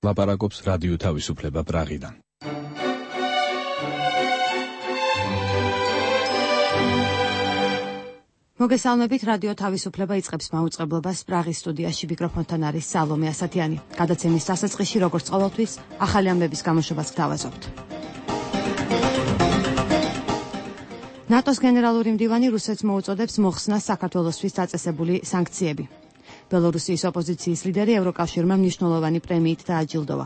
ლაპარაკობს რადიო თავისუფლება პრაღიდან. მოგესალმებით, რადიო თავისუფლება იწყებს მაუწყებლობას პრაღის სტუდიაში. მიკროფონთან არის სალომე ასათიანი. გადაცემის დასაწყისში, როგორც ყოველთვის, ახალი ამბების გამოშვებას გთავაზობთ. ნატოს გენერალური მდივანი რუსეთს მოუწოდებს მოხსნას საქართველოსთვის დაწესებული სანქციები. ბელორუსიის ოპოზიციის ლიდერი ევროკავშირმა მნიშვნელოვანი პრემიით დააჯილდოვა.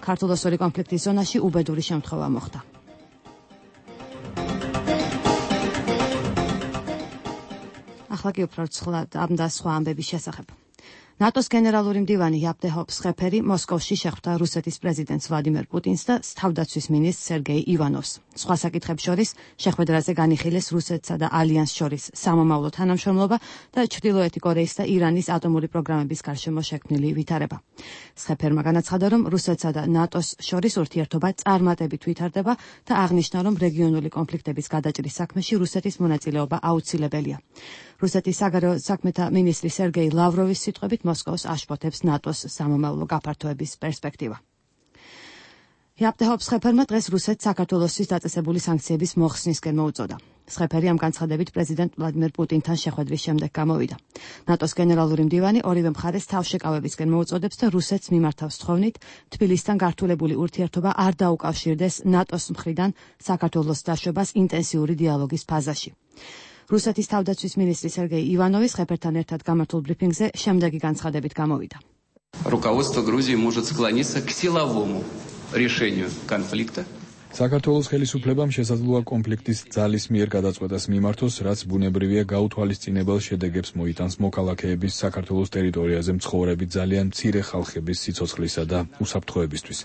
ქართულ-ოსური კონფლიქტის ზონაში უბედური შემთხვევა მოხდა. ახლა კი უფრო ცხლად ამ და სხვა ამბების შესახებ. ნატოს გენერალური მდივანი იაპტეჰ სხეფერი მოსკოვში შეხვდა რუსეთის პრეზიდენტს ვლადიმერ პუტინს და თავდაცვის მინისტრს სერგეი ივანოვს. სხვა საკითხებს შორის შეხვედრაზე განიხილეს რუსეთსა და ალიანსს შორის სამომავლო თანამშრომლობა და ჩრდილოეთი კორეის და ირანის ატომური პროგრამების გარშემო შექმნილი ვითარება. სხეფერმა განაცხადა, რომ რუსეთსა და ნატოს შორის ურთიერთობა წარმატებით ვითარდება და აღნიშნა, რომ რეგიონული კონფლიქტების გადაჭრის საქმეში რუსეთის მონაწილეობა აუცილებელია. რუსეთის საგარეო საქმეთა მინისტრი სერგეი ლავროვის სიტყვებით მოსკოვს აშფოთებს ნატოს სამომავლო გაფართოების პერსპექტივა. იაპტეჰ სხეფერმა დღეს რუსეთს საქართველოსთვის დაწესებული სანქციების მოხსნისკენ მოუწოდა. სხეფერი ამ განცხადებით პრეზიდენტ ვლადიმერ პუტინთან შეხვედრის შემდეგ გამოვიდა. ნატოს გენერალური მდივანი ორივე მხარეს თავშეკავებისკენ მოუწოდებს და რუსეთს მიმართავს თხოვნით, თბილისთან გართულებული ურთიერთობა არ დაუკავშირდეს ნატოს მხრიდან საქართველოს დაშვებას ინტენსიური დიალოგის ფაზაში. რუსეთის თავდაცვის მინისტრი სერგეი ივანოვი სხეფერთან ერთად გამართულ ბრიფინგზე შემდეგი განცხადებით გამოვიდა. Руководство Грузии может склониться к силовому решению конфликта. საქართველოს ხელისუფლებამ შესაძლოა კონფლიქტის ძალის მიერ გადაწყვეტას მიმართოს, რაც ბუნებრივია გაუთვალისწინებელ შედეგებს მოიტანს მოქალაქეების საქართველოს ტერიტორიაზე მცხოვრები ძალიან მცირე ხალხების სიცოცხლისა და უსაფრთხოებისთვის.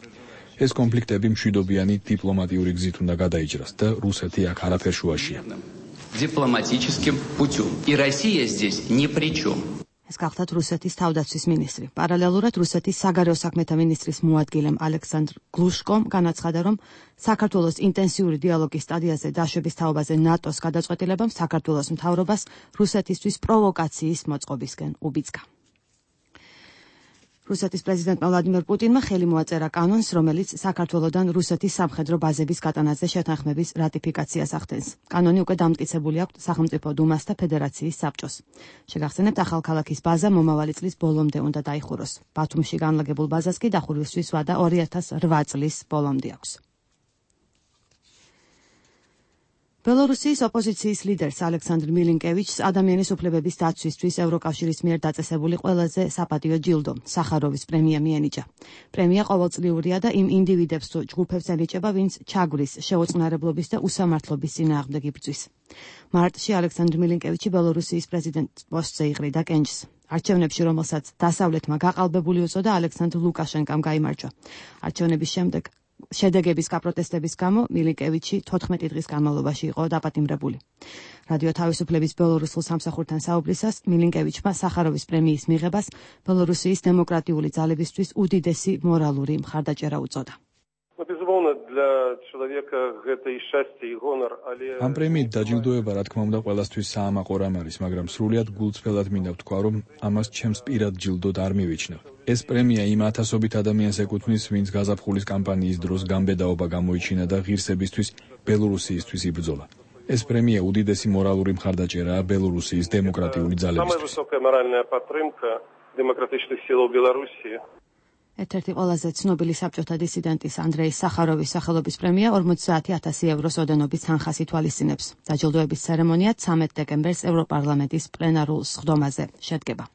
ეს კონფლიქტები მშვიდობიანი დიპლომატიური გზით უნდა გადაიჭრას და რუსეთი აქ არაფერ შუაშია. Дипломатическим путем. И Россия здесь ни при чем. ეს გახლდათ რუსეთის თავდაცვის მინისტრი. პარალელურად რუსეთის საგარეო საქმეთა მინისტრის მოადგილემ ალექსანდრ გლუშკომ განაცხადა, რომ საქართველოს ინტენსიური დიალოგის სტადიაზე დაშვების თაობაზე ნატოს გადაწყვეტილებამ საქართველოს მთავრობას რუსეთისთვის პროვოკაციის მოწყობისკენ უბიძგა. რუსეთის პრეზიდენტმა ვლადიმერ პუტინმა ხელი მოაწერა კანონს, რომელიც საქართველოდან რუსეთის სამხედრო ბაზების გატანაზე შეთანხმების რატიფიკაციას ახდენს. კანონი უკვე დამტკიცებული აქვს სახელმწიფო დუმას და ფედერაციის საბჭოს. შეგახსენებთ, ახალქალაქის ბაზა მომავალი წლის ბოლომდე უნდა დაიხუროს. ბათუმში განლაგებულ ბაზას კი დახურვისთვის ვადა 2008 წლის ბოლომდე აქვს. ბელორუსიის ოპოზიციის ლიდერს ალექსანდრ მილინკევიჩს ადამიანის უფლებების დაცვისთვის ევროკავშირის მიერ დაწესებული ყველაზე საპატიო ჯილდო, სახაროვის პრემია მიენიჭა. პრემია ყოველწლიურია და იმ ინდივიდებს თუ ჯგუფებს ენიჭება, ვინც ჩაგვრის, შეუწყნარებლობის და უსამართლობის წინააღმდეგ იბრძვის. მარტში ალექსანდრ მილინკევიჩი ბელორუსიის პრეზიდენტის პოსტზე იყრიდა კენჭს. არჩევნებში, რომელსაც დასავლეთმა გაყალბებული უწოდა, ალექსანდრ ლუკაშენკამ გაიმარჯვა. არჩევნების შემდეგ შედეგების გაპროტესტების გამო მილინკევიჩი 14 დღის განმავლობაში იყო დაპატიმრებული. რადიო თავისუფლების ბელორუსულ სამსახურთან საუბრისას მილინკევიჩმა სახაროვის პრემიის მიღებას ბელორუსიის დემოკრატიული ძალებისთვის უდიდესი მორალური მხარდაჭერა უწოდა. ამ პრემიით დაჯილდოება, რა თქმა უნდა, ყველასთვის საამაყო რამ არის, მაგრამ სრულიად გულწრფელად მინდა ვთქვა, რომ ამას ჩემს პირად ჯილდოდ არ მივიჩნევ. ეს პრემია იმ ათასობით ადამიანს ეკუთვნის, ვინც გაზაფხულის კამპანიის დროს გამბედაობა გამოიჩინა და ღირსებისთვის ბელორუსიისთვის იბრძოლა. ეს პრემია უდიდესი მორალური მხარდაჭერაა ბელორუსიის დემოკრატიული ძალებისთვის. ერთ-ერთი ყველაზე ცნობილი საბჭოთა დისიდენტის ანდრეი სახაროვის სახელობის პრემია 50,000 ევროს ოდენობის თანხას ითვალისწინებს. დაჯილდოების ცერემონია 13 დეკემბერს ევროპარლამენტის პლენარულ სხდომაზე შედგება.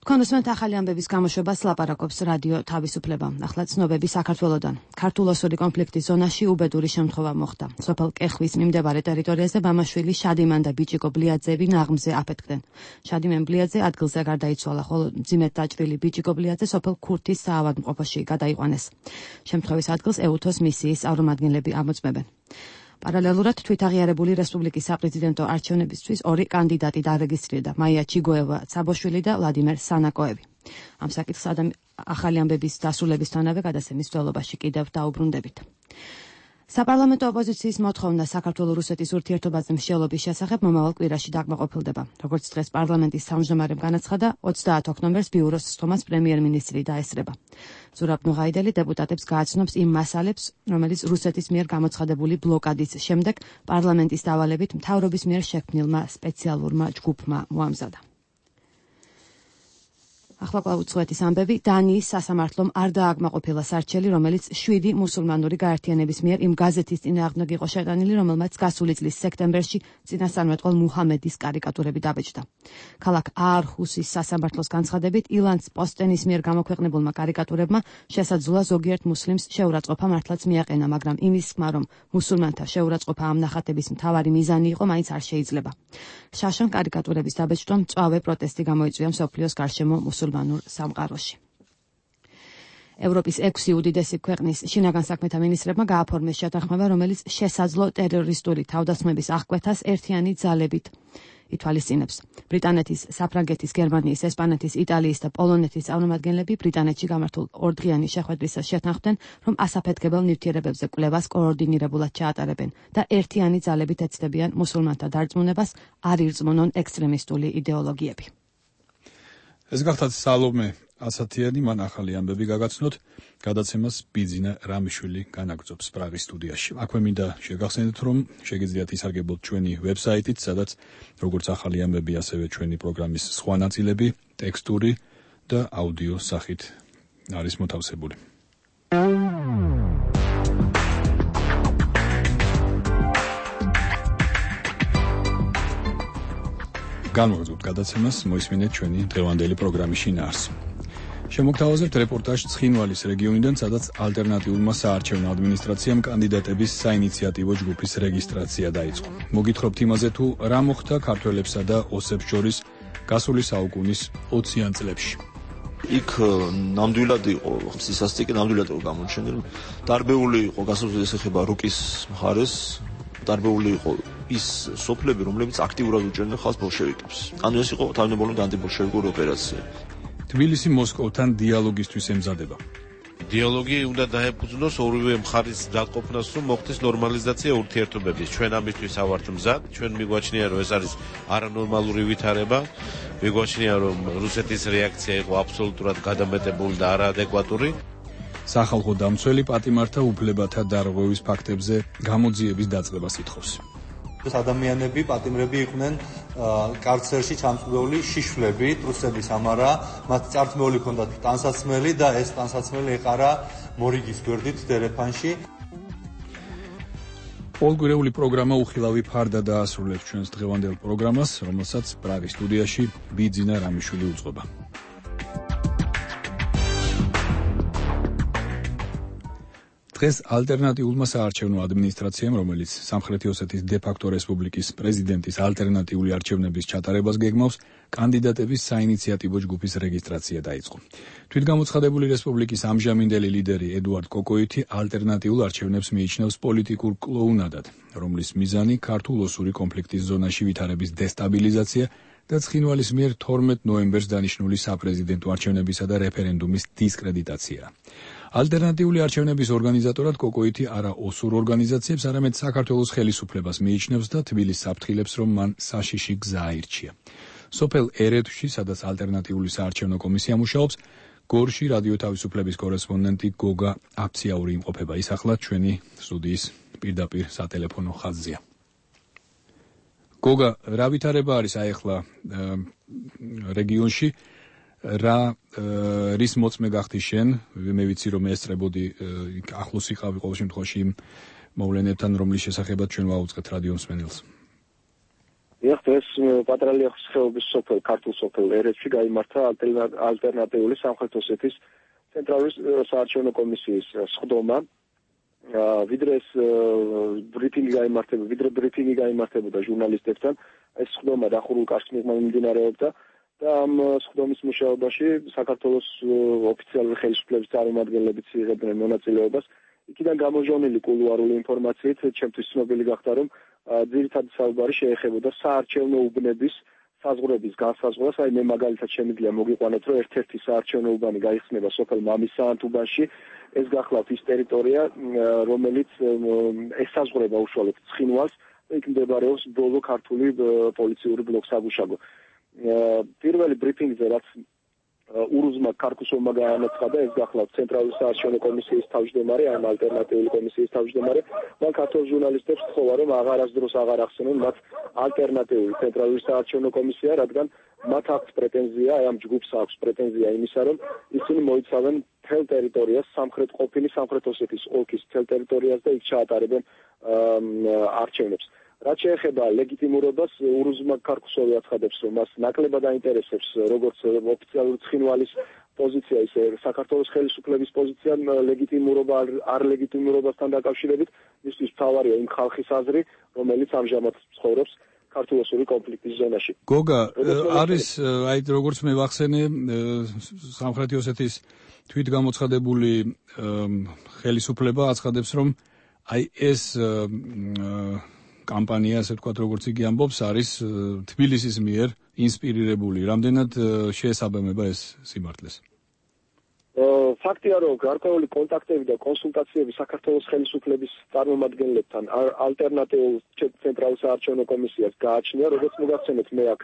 თქვენ უსმენთ ახალი ამბების გამოშვებას, ლაპარაკობს რადიო თავისუფლება. ახლა ცნობები საქართველოდან. ქართულ-ოსური კონფლიქტის ზონაში უბედური შემთხვევა მოხდა. სოფელ კეხვის მიმდებარე ტერიტორიაზე მამაშვილი შადიმან და ბიჭიკო ბლიაძეები ნაღმზე აფეთქდნენ. შადიმენ ბლიაძე ადგილზე გარდაიცვალა, ხოლო მძიმედ დაჭრილი ბიჭიკო ბლიაძე სოფელ ქურთის საავადმყოფოში გადაიყვანეს. შემთხვევის ადგილს ეუთოს მისიის წარმომადგენლები ამოწმებენ. პარალელურად თვითაღიარებული რესპუბლიკის საპრეზიდენტო არჩევნებისთვის ორი კანდიდატი დარეგისტრირდა: მაია ჩიგოევა-ცაბოშვილი და ვლადიმერ სანაკოევი. ამ საკითხს ახალი ამბების დასრულებისთანავე გადაცემის მცველობაში კიდევ დაუბრუნდებით. საპარლამენტო ოპოზიციის მოთხოვნა საქართველო-რუსეთის ურთიერთობაზე მსჯელობის შესახებ მომავალ კვირაში დაკმაყოფილდება. როგორც დღეს პარლამენტის თავმჯდომარემ განაცხადა, 30 ოქტომბერს ბიუროს სხდომას პრემიერ-მინისტრი დაესწრება. ზურაბ ნუღაიდელი დეპუტატებს გააცნობს იმ მასალებს, რომელიც რუსეთის მიერ გამოცხადებული ბლოკადის შემდეგ პარლამენტის დავალებით მთავრობის მიერ შექმნილმა სპეციალურმა ჯგუფმა მოამზადა. ახლა კვლავ უცხოეთის ამბები. დანიის სასამართლომ არ დააკმაყოფილა სარჩელი, რომელიც 7 მუსულმანური გაერთიანების მიერ იმ გაზეთის წინააღმდეგ იყო შეტანილი, რომელმაც გასული წლის სექტემბერში წინასწარმეტყველ მუჰამედის კარიკატურები დაბეჭდა. ქალაქ აარჰუსის სასამართლოს განცხადებით, ილანს პოსტენის მიერ გამოქვეყნებულმა კარიკატურებმა შესაძლოა ზოგიერთ მუსლიმს შეურაცხყოფა მართლაც მიაყენა, მაგრამ იმის თქმა, რომ მუსულმანთა შეურაცხყოფა ამ ნახატების მთავარი მიზანი იყო, მაინც არ შეიძლება. შაშან კარიკატურების დაბეჭდვამ მწვავე პროტესტი გამოიწვია მსოფლიოს გარშემო მუსულმანურ სამყაროში. ევროპის 6 უდიდესი ქვეყნის შინაგან საქმეთა მინისტრებმა გააფორმეს შეთანხმება, რომელიც შესაძლო ტერორისტული თავდასხმების აღკვეთას ერთიანი ძალებით ითვალისწინებს. ბრიტანეთის, საფრანგეთის, გერმანიის, ესპანეთის, იტალიის და პოლონეთის წარმომადგენლები ბრიტანეთში გამართულ ორდღიანი შეხვედრისას შეთანხმდნენ, რომ ასაფეთქებელ ნივთიერებებზე კვლევას კოორდინირებულად ჩაატარებენ და ერთიანი ძალებით ეცდებიან მუსულმანთა დარწმუნებას არ ირწმუნონ ექსტრემისტული იდეოლოგიები. ეს გახდათ სალომე ასათიანი, მან ახალი ამბები გაგაცნოთ, გადაცემას ბიძინა რამიშვილი განაგრძობს პრაღის სტუდიაში. აქვე მინდა შეგახსენდეთ, რომ შეგიძლიათ ისარგებლოთ ჩვენი ვებსაიტით, სადაც როგორც ახალი ამბები, ასევე ჩვენი პროგრამის სხვა ნაწილები, ტექსტური და აუდიო სახით არის მოთავსებული. განვაგრძობთ გადაცემას, მოისმინეთ ჩვენი დღევანდელი პროგრამის შინაარსი. შემოგთავაზებთ რეპორტაჟ ცხინვალის რეგიონიდან, სადაც ალტერნატიულმა საარჩევნო ადმინისტრაციამ კანდიდატების საინიციატივო ჯგუფის რეგისტრაცია დაიწყო. მოგითხრობთ იმაზე, თუ რა მოხდა ქართველებსა და ოსებს შორის გასული საუკუნის 20-იან წლებში. იქ ნამდვილად იყო სისასტიკე, ნამდვილად იყო გამოჩენილი. დარბეული იყო გასაგზავნეს ეხება რუკის მხარეს, დარბეული იყო ის სოფლები, რომლებიც აქტიურად უჭერდნენ ხალხს ბოლშევიკებს. ანუ ეს იყო თავდაპირველად ანტიბოლშევიკური ოპერაცია. თბილისი მოსკოვთან დიალოგისთვის ემზადება. დიალოგი უნდა დაეფუძნოს ორივე მხარის დაყოფნას, რომ მოხდეს ნორმალიზაცია ურთიერთობების. ჩვენ ამისთვის ავართ მზად, ჩვენ მიგვაჩნია, რომ ეს არის არანორმალური ვითარება. მიგვაჩნია, რომ რუსეთის რეაქცია იყო აბსოლუტურად გადამეტებული და არაადეკვატური. სახალხო დამცველი პატიმართა უფლებათა დარღვევის ფაქტებზე გამოძიების დაწყებას ითხოვს. ადამიანები, პატიმრები იყვნენ კარცერში ჩამწვდეული შიშვლები, ტრუსების ამარა, მათ წართმეული ჰქონდათ ტანსაცმელი და ეს ტანსაცმელი ეყარა მორიგის გვერდით დერეფანში. პოლგვირეული პროგრამა უხილავი ფარდა დაასრულებს ჩვენს დღევანდელ პროგრამას, რომელსაც პრაღის სტუდიაში ბიძინა რამიშვილი უძღვება. დღეს ალტერნატიულმა საარჩევნო ადმინისტრაციამ, რომელიც სამხრეთი ოსეთის დე-ფაქტო რესპუბლიკის პრეზიდენტის ალტერნატიული არჩევნების ჩატარებას გეგმავს, კანდიდატების საინიციატივო ჯგუფის რეგისტრაცია დაიწყო. თვითგამოცხადებული რესპუბლიკის ამჟამინდელი ლიდერი ედუარდ კოკოიტი ალტერნატიულ არჩევნებს მიიჩნევს პოლიტიკურ კლოუნადად, რომლის მიზანი ქართულ-ოსური კონფლიქტის ზონაში ვითარების დესტაბილიზაცია და ცხინვალის მიერ 12 ნოემბერს დანიშნული საპრეზიდენტო არჩევნებისა და რეფერენდუმის დისკრედიტაციაა. ალტერნატიული არჩევნების ორგანიზატორად კოკოიტი არა ოსურ ორგანიზაციებს, არამედ საქართველოს ხელისუფლებას მიიჩნევს და თბილისს აფრთხილებს, რომ მან საშიში გზა აირჩია. სოფელ ერეთში, სადაც ალტერნატიული საარჩევნო კომისია მუშაობს, გორში რადიო თავისუფლების კორესპონდენტი გოგა აფციაური იმყოფება. ის ახლა ჩვენი სტუდიის პირდაპირ სატელეფონო ხაზზეა. გოგა, რა ვითარება არის ახლა რეგიონში? რა რის მოწმე გახდი შენ? მე ვიცი, რომ ესწრებოდი ახლოს იყავი ყოველ შემთხვევაში იმ მოვლენებთან, რომლის შესახებაც ჩვენ ვაუწყეთ რადიო მსმენელს. ეხლა ეს პატრალი ახსოვების სოფელ ქართულ სოფელ ერეთში გაიმართა ალტერნატიული სამხრეთ ოსეთის ცენტრალური საარჩევნო კომისიის სხდომა. ვიდრე ეს ბრიფინგი გაიმართებოდა ჟურნალისტებთან, ეს სხდომა დახურულ კარს მიმდინარეობდა და ამ სხდომის მუშაობაში საქართველოს ოფიციალური ხელისუფლების წარმომადგენლებიც იღებდნენ მონაწილეობას. იქიდან გამოვჟონილი კულუარული ინფორმაციით ჩემთვის ცნობილი გახდა, რომ ძირითადი საუბარი შეეხებოდა საარჩევნო უბნების საზღვრების განსაზღვრას. მე მაგალითად შემიძლია მოგიყვანოთ, რომ ერთ-ერთი საარჩევნო უბანი გაიხსნება სოფელ მამისაანთ უბანში, ეს გახლავთ ის ტერიტორია, რომელიც ესაზღვრება უშუალოდ ცხინვალს და იქ მდებარეობს ბოლო ქართული პოლიციური ბლოკსაგუშაგო. პირველი ბრიფინგზე რაც ურუზმა ქარქუსოვმა განაცხადა, ეს გახლავთ ცენტრალური საარჩევნო კომისიის თავმჯდომარე, ან ალტერნატიული კომისიის თავმჯდომარე, მან ქართულ ჟურნალისტებს თხოვა, რომ აღარასდროს აღარ ახსენონ მათ ალტერნატიული ცენტრალური საარჩევნო კომისია, რადგან მათ აქვს პრეტენზია, ამ ჯგუფს აქვს პრეტენზია იმისა, რომ ისინი მოიცავენ მთელ ტერიტორიას, ყოფილი სამხრეთ ოსეთის ოლქის მთელ ტერიტორიას და იქ ჩაატარებენ არჩევნებს. რაც შეეხება ლეგიტიმურობას, ურუზმა ქარქუსოვი აცხადებს, რომ მას ნაკლებად აინტერესებს როგორც ოფიციალური ცხინვალის პოზიცია, ისე საქართველოს ხელისუფლების პოზიცია ლეგიტიმურობა არ ლეგიტიმურობასთან დაკავშირებით, მისთვის მთავარია იმ ხალხის აზრი, რომელიც ამჟამად ცხოვრობს ქართულ-ოსური კონფლიქტის ზონაში. გოგა, არის აი როგორც მე ვახსენე, სამხრეთი ოსეთის თვითგამოცხადებული ხელისუფლება აცხადებს, რომ აი ეს კამპანია, ასე ვთქვათ, როგორც იგი ამბობს, არის თბილისის მიერ ინსპირირებული. რამდენად შეესაბამება ეს სიმართლეს? ფაქტია, რომ გარკვეული კონტაქტები და კონსულტაციები საქართველოს ხელისუფლების წარმომადგენლებთან ალტერნატიულ ცენტრალურ საარჩევნო კომისიას გააჩნია, როგორც მოგახსენეთ, მე აქ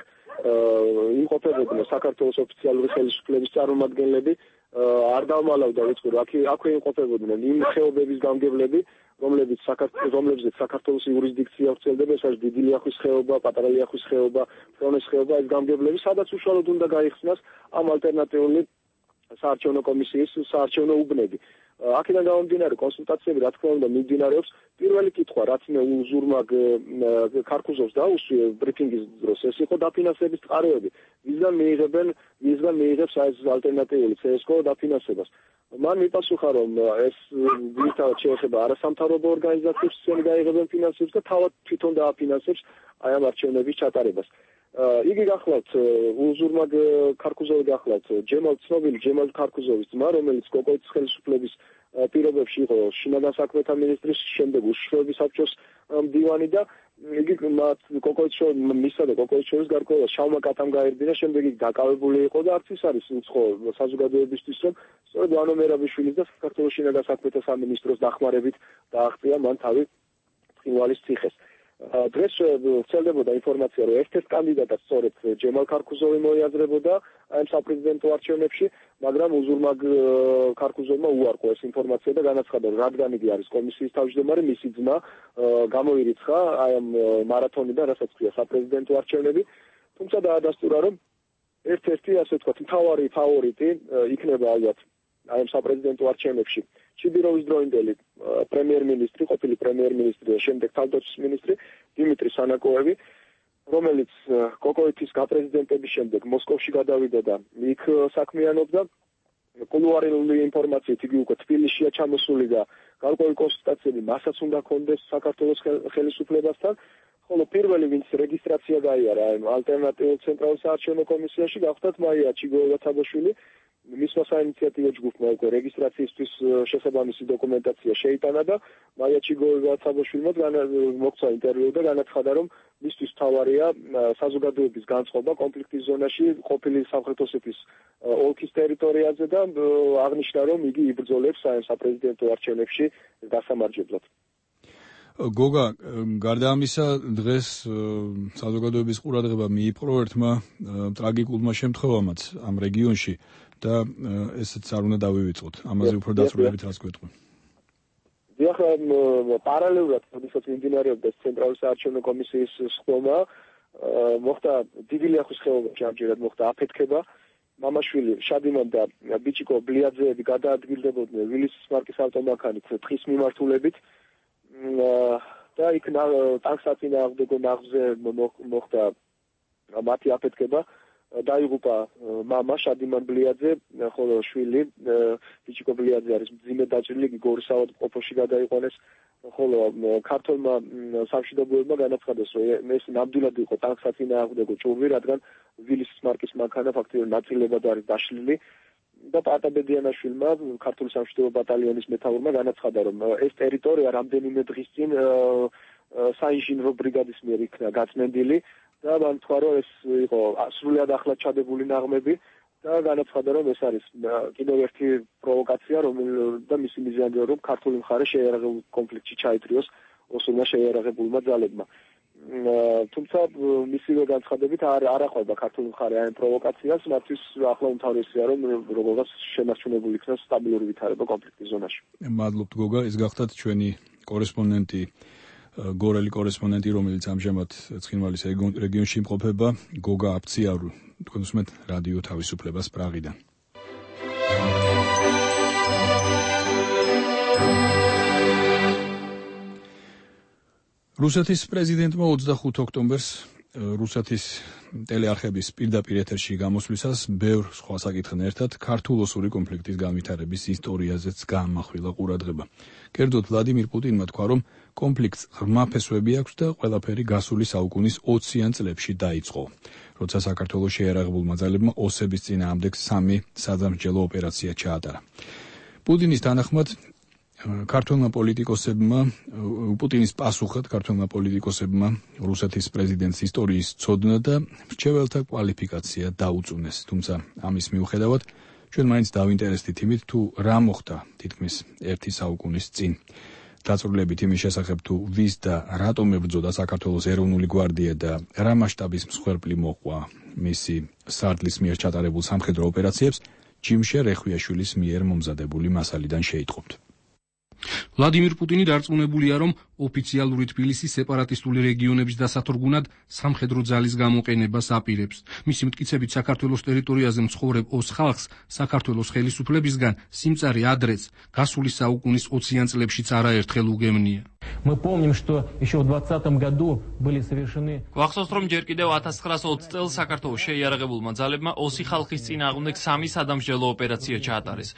იმყოფებოდნენ საქართველოს ოფიციალური ხელისუფლების წარმომადგენლები, არ დავმალავდა ვიცი, რომ აქვე იმყოფებოდნენ იმ ხეობების გამგებლები, რომლებიც საქართველოს იურისდიქცია ვრცელდება, ეს არის დიდი ლიახვის ხეობა, პატარა ლიახვის ხეობა, ფრონეს ხეობა, ეს გამგებლები, სადაც უშუალოდ უნდა გაიხსნას ამ ალტერნატიული საარჩევნო კომისიის საარჩევნო უბნები. აქედან გამომდინარე კონსულტაციები, რა თქმა უნდა, მიმდინარეობს. პირველი კითხვა, რაც მე უზურმაგ ქარქუსოვს დაუსვიე ბრიფინგის დროს, ეს იყო დაფინანსების წყაროები. ვისგან მიიღებს ეს ალტერნატიული CSGO დაფინანსებას. მან მიპასუხა, რომ ეს ვირთავად შეეხება არასამთავრობო ორგანიზაციებს, ისინი გაიღებენ ფინანსებს და თავად თვითონ დააფინანსებს აი ამ არჩევნების ჩატარებას. იგი გახლავთ უზურმაგ ქარქუსოვი გახლავთ ცნობილი ჯემალ ქარქუსოვის ძმა, რომელიც კოკოიძის ხელისუფლების პირობებში იყო შინაგან საქმეთა მინისტრის, შემდეგ უშიშროების საბჭოს მდივანი და იგი მისსა და კოკოიძის შორის გარკვეულად შავმა კატამ გაერბინა, შემდეგ იგი დაკავებული იყო და არც ის არის უცხო საზოგადოებისთვის, რომ სწორედ ვანო მერაბიშვილის და საქართველოს შინაგან საქმეთა სამინისტროს დახმარებით დააღწია მან თავი ცხინვალის ციხეს. დღეს ვრცელდებოდა ინფორმაცია, რომ ერთ-ერთ კანდიდატად სწორედ ჯემალ ქარქუსოვი მოიაზრებოდა ამ საპრეზიდენტო არჩევნებში, მაგრამ უზურმაგ ქარქუსოვმა უარყო ეს ინფორმაცია და განაცხადა, რომ რადგან იგი არის კომისიის თავმჯდომარე, მისი ძმა გამოირიცხა აი ამ მარათონიდან, რასაც ქვია საპრეზიდენტო არჩევნები, თუმცა დაადასტურა, რომ ერთ-ერთი, ასე ვთქვათ, მთავარი ფავორიტი იქნება ალბათ აი ამ საპრეზიდენტო არჩევნებში ჩიბიროვის დროინდელი პრემიერ-მინისტრი, ყოფილი პრემიერ-მინისტრი და შემდეგ თავდაცვის მინისტრი დიმიტრი სანაკოევი, რომელიც კოკოიძის გაპრეზიდენტების შემდეგ მოსკოვში გადავიდა და იქ საქმიანობდა. კულუარული ინფორმაციით იგი უკვე თბილისშია ჩამოსული და გარკვეული კონსულტაციები მასაც უნდა ჰქონდეს საქართველოს ხელისუფლებასთან. ხოლო პირველი, ვინც რეგისტრაცია გაიარა ამ ალტერნატიულ ცენტრალურ საარჩევნო კომისიაში, გახდათ მაია ჩიგოევა-ცაბოშვილი. მისმა საინიციატივო ჯგუფმა უკვე რეგისტრაციისთვის შესაბამისი დოკუმენტაცია შეიტანა და მაია ჩიგოევა-ცაბოშვილმა მოგცა ინტერვიუ და განაცხადა, რომ მისთვის მთავარია საზოგადოების განწყობა კონფლიქტის ზონაში ყოფილი სამხრეთ ოსეთის ოლქის ტერიტორიაზე და აღნიშნა, რომ იგი იბრძოლებს ამ საპრეზიდენტო არჩევნებში დასამარჯებლად. გოგა, გარდა ამისა, დღეს საზოგადოების ყურადღება მიიპყრო ერთმა ტრაგიკულმა შემთხვევამაც ამ რეგიონში და ესეც არ უნდა დავივიწყოთ. ამაზე უფრო დაწვრილებით რას გვეტყვი? დიახ, პარალელურად, როდესაც მიმდინარეობდა ცენტრალური საარჩევნო კომისიის სხდომა, მოხდა დიდი ლიახვის ხეობაში ამჯერად მოხდა აფეთქება. მამაშვილი შადიმან და ბიჭიკო ბლიაძეები გადაადგილდებოდნენ ვილისის მარკის ავტომანქანით თხის მიმართულებით. და იქ ტანკსაწინააღმდეგო ნაღზე მოხდა მათი აფეთქება, დაიღუპა მამა შადიმან ბლიაძე, ხოლო შვილი ბიჭიკო ბლიაძე არის მძიმე დაჭრილი, გორის საავადმყოფოში გადაიყვანეს, ხოლო ქართველმა სამშვიდობოებმა განაცხადეს, რომ ეს ნამდვილად იყო ტანკსაწინააღმდეგო ჭურვი, რადგან ვილისის მარკის მანქანა ფაქტობრივად ნაწილებად არის დაშლილი. და პატაბედიანაშვილმა ქართული სამშვიდობო ბატალიონის მეთაურმა განაცხადა, რომ ეს ტერიტორია რამდენიმე დღის წინ საინჟინრო ბრიგადის მიერ იქნა გაწმენდილი და მან თქვა, რომ ეს იყო სრულიად ახლად ჩადებული ნაღმები და განაცხადა, რომ ეს არის კიდევ ერთი პროვოკაცია, და მისი მიზანია, რომ ქართული მხარე შეიარაღებულ კონფლიქტში ჩაითრიოს ოსურმა შეიარაღებულმა ძალებმა. თუმცა მისივე განცხადებით არ აყვება ქართული მხარე ამ პროვოკაციას, მათთვის ახლა უმთავრესია, რომ როგორღაც შემორჩენებული იქნას სტაბილური ვითარება კონფლიქტის ზონაში. მადლობთ გოგა, ეს გახდათ ჩვენი კორესპონდენტი გორელი კორესპონდენტი, რომელიც ამჟამად ცხინვალის რეგიონში იმყოფება, გოგა აფციარუ, თქვენ უსმენთ რადიო თავისუფლებას პრაღიდან. რუსეთის პრეზიდენტმა 25 ოქტომბერს რუსეთის ტელეარხების პირდაპირ ეთერში გამოსვლისას ბევრ სხვა საკითხთან ერთად ქართულ-ოსური კონფლიქტის განვითარების ისტორიაზეც გაამახვილა ყურადღება. კერძოდ ვლადიმირ პუტინმა თქვა, რომ კონფლიქტს ღრმა ფესვები აქვს და ყველაფერი გასული საუკუნის 20-იან წლებში დაიწყო, როცა საქართველოს შეიარაღებულმა ძალებმა ოსების წინააღმდეგ 3 სადამსჯელო ოპერაცია ჩაატარა. პუტინის თანახმად პუტინის პასუხად ქართველმა პოლიტიკოსებმა რუსეთის პრეზიდენტის ისტორიის ცოდნა და მრჩეველთა კვალიფიკაცია დაუწუნეს. თუმცა ამის მიუხედავად ჩვენ მაინც დავინტერესდით იმით, თუ რა მოხდა თითქმის 1 საუკუნის წინ. დაწვრილებით იმის შესახებ, თუ ვის და რატომ ებრძოდა საქართველოს ეროვნული გვარდია და რა მასშტაბის მსხვერპლი მოყვა მისი სარდლის მიერ ჩატარებულ სამხედრო ოპერაციებს, ჯიმშე რეხვიაშვილის მიერ მომზადებული მასალიდან შეიტყობთ. ვლადიმირ პუტინი დარწმუნებულია, რომ ოფიციალური თბილისი სეპარატისტული რეგიონების დასათორგუნად სამხედრო ძალის გამოყენებას აპირებს. მისი მტკიცებით საქართველოს ტერიტორიაზე მცხოვრებ ოს ხალხს საქართველოს ხელისუფლებისგან სიმწარე ადრეც გასული საუკუნის 20-იან წლებშიც არაერთხელ უგემნია. Мы помним, что еще в 20 году были совершены. გვახსოვს, რომ ჯერ კიდევ 1920 წელს საქართველოს შეიარაღებულმა ძალებმა ოსი ხალხის წინააღმდეგ 3 სადამსჯელო ოპერაცია ჩაატარეს.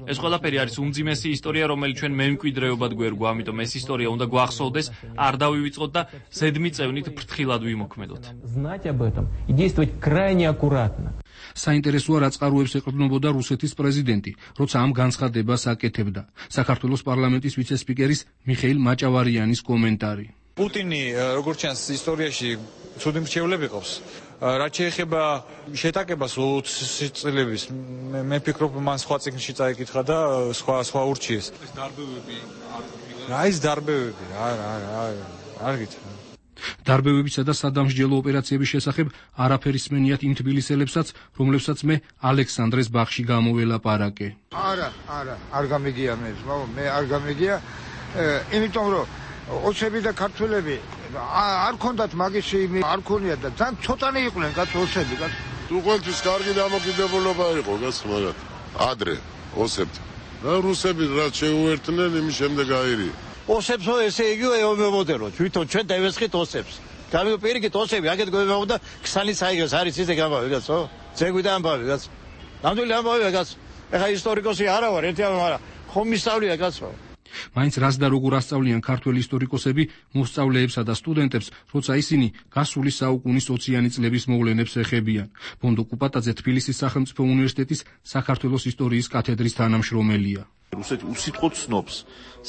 ეს ყველაფერი არის უმძიმესი ისტორია, რომელიც ჩვენ მემკვიდრეობად გვერგვა, ამიტომ ეს ისტორია უნდა გვახსოვდეს, არ დავივიწყოთ და ზედმიწევნით ფრთხილად ვიმოქმედოთ. Знать об этом и действовать крайне аккуратно. საინტერესოა, რა წყაროებს ეყრდნობოდა რუსეთის პრეზიდენტი, როცა ამ განცხადებას აკეთებდა. საქართველოს პარლამენტის ვიცე-სპიკერის მიხეილ მაჭავარიანის კომენტარი. პუტინი, როგორც ჩანს, ისტორიაში ცუდი მრჩევლები ყავს. რაც შეეხება შეტაკებას 20 წლების, მე ფიქრობ, მან სხვა წიგნში წაიკითხა და სხვა ურჩიეს. ეს დარბევები არ ყოფილა. რა ის დარბევები? არ გითხრა. დარბევებისა და სადამსჯელო ოპერაციების შესახებ არაფერი სმენიათ იმ თბილისელებსაც, რომლებსაც მე ალექსანდრეს ბაღში გამოველაპარაკე. არ გამიგია მე არ გამიგია, იმიტომ რომ ოსები და ქართველები არ ქონდათ მაგისი არ ქონიათ და ძალიან ცოტანი იყვნენ ოსები. თუ ყველთვის კარგი დამოკიდებულება იყო მაგრამ ადრე ოსებთან. და რუსები რაც შეუერთდნენ, იმის შემდეგ აირია. ოსებსო ესე იგივე ემოდერო, თვითონ ჩვენ დავესხით ოსებს. გამიგპირიქით ოსები, აქეთ გვემოვდა ქსანის აიგეს არის ისე გამავი გასო? ზეგვიდან ამბავი გასო. ნამდვილი ამბავია გასო. ეხა ისტორიკოსი არა ვარ, ერთი ამბავი, ხომ მისწავლია გასო. მაინც რას და როგორ ასწავლიან ქართველი ისტორიკოსები მოსწავლეებსა და სტუდენტებს, როცა ისინი გასული საუკუნის 20-იანი წლების მოვლენებს ეხებიან. ბონდო კუპატაძე თბილისის სახელმწიფო უნივერსიტეტის საქართველოს ისტორიის კათედრის თანამშრომელია. რუსეთი უსიტყვოდ ცნობს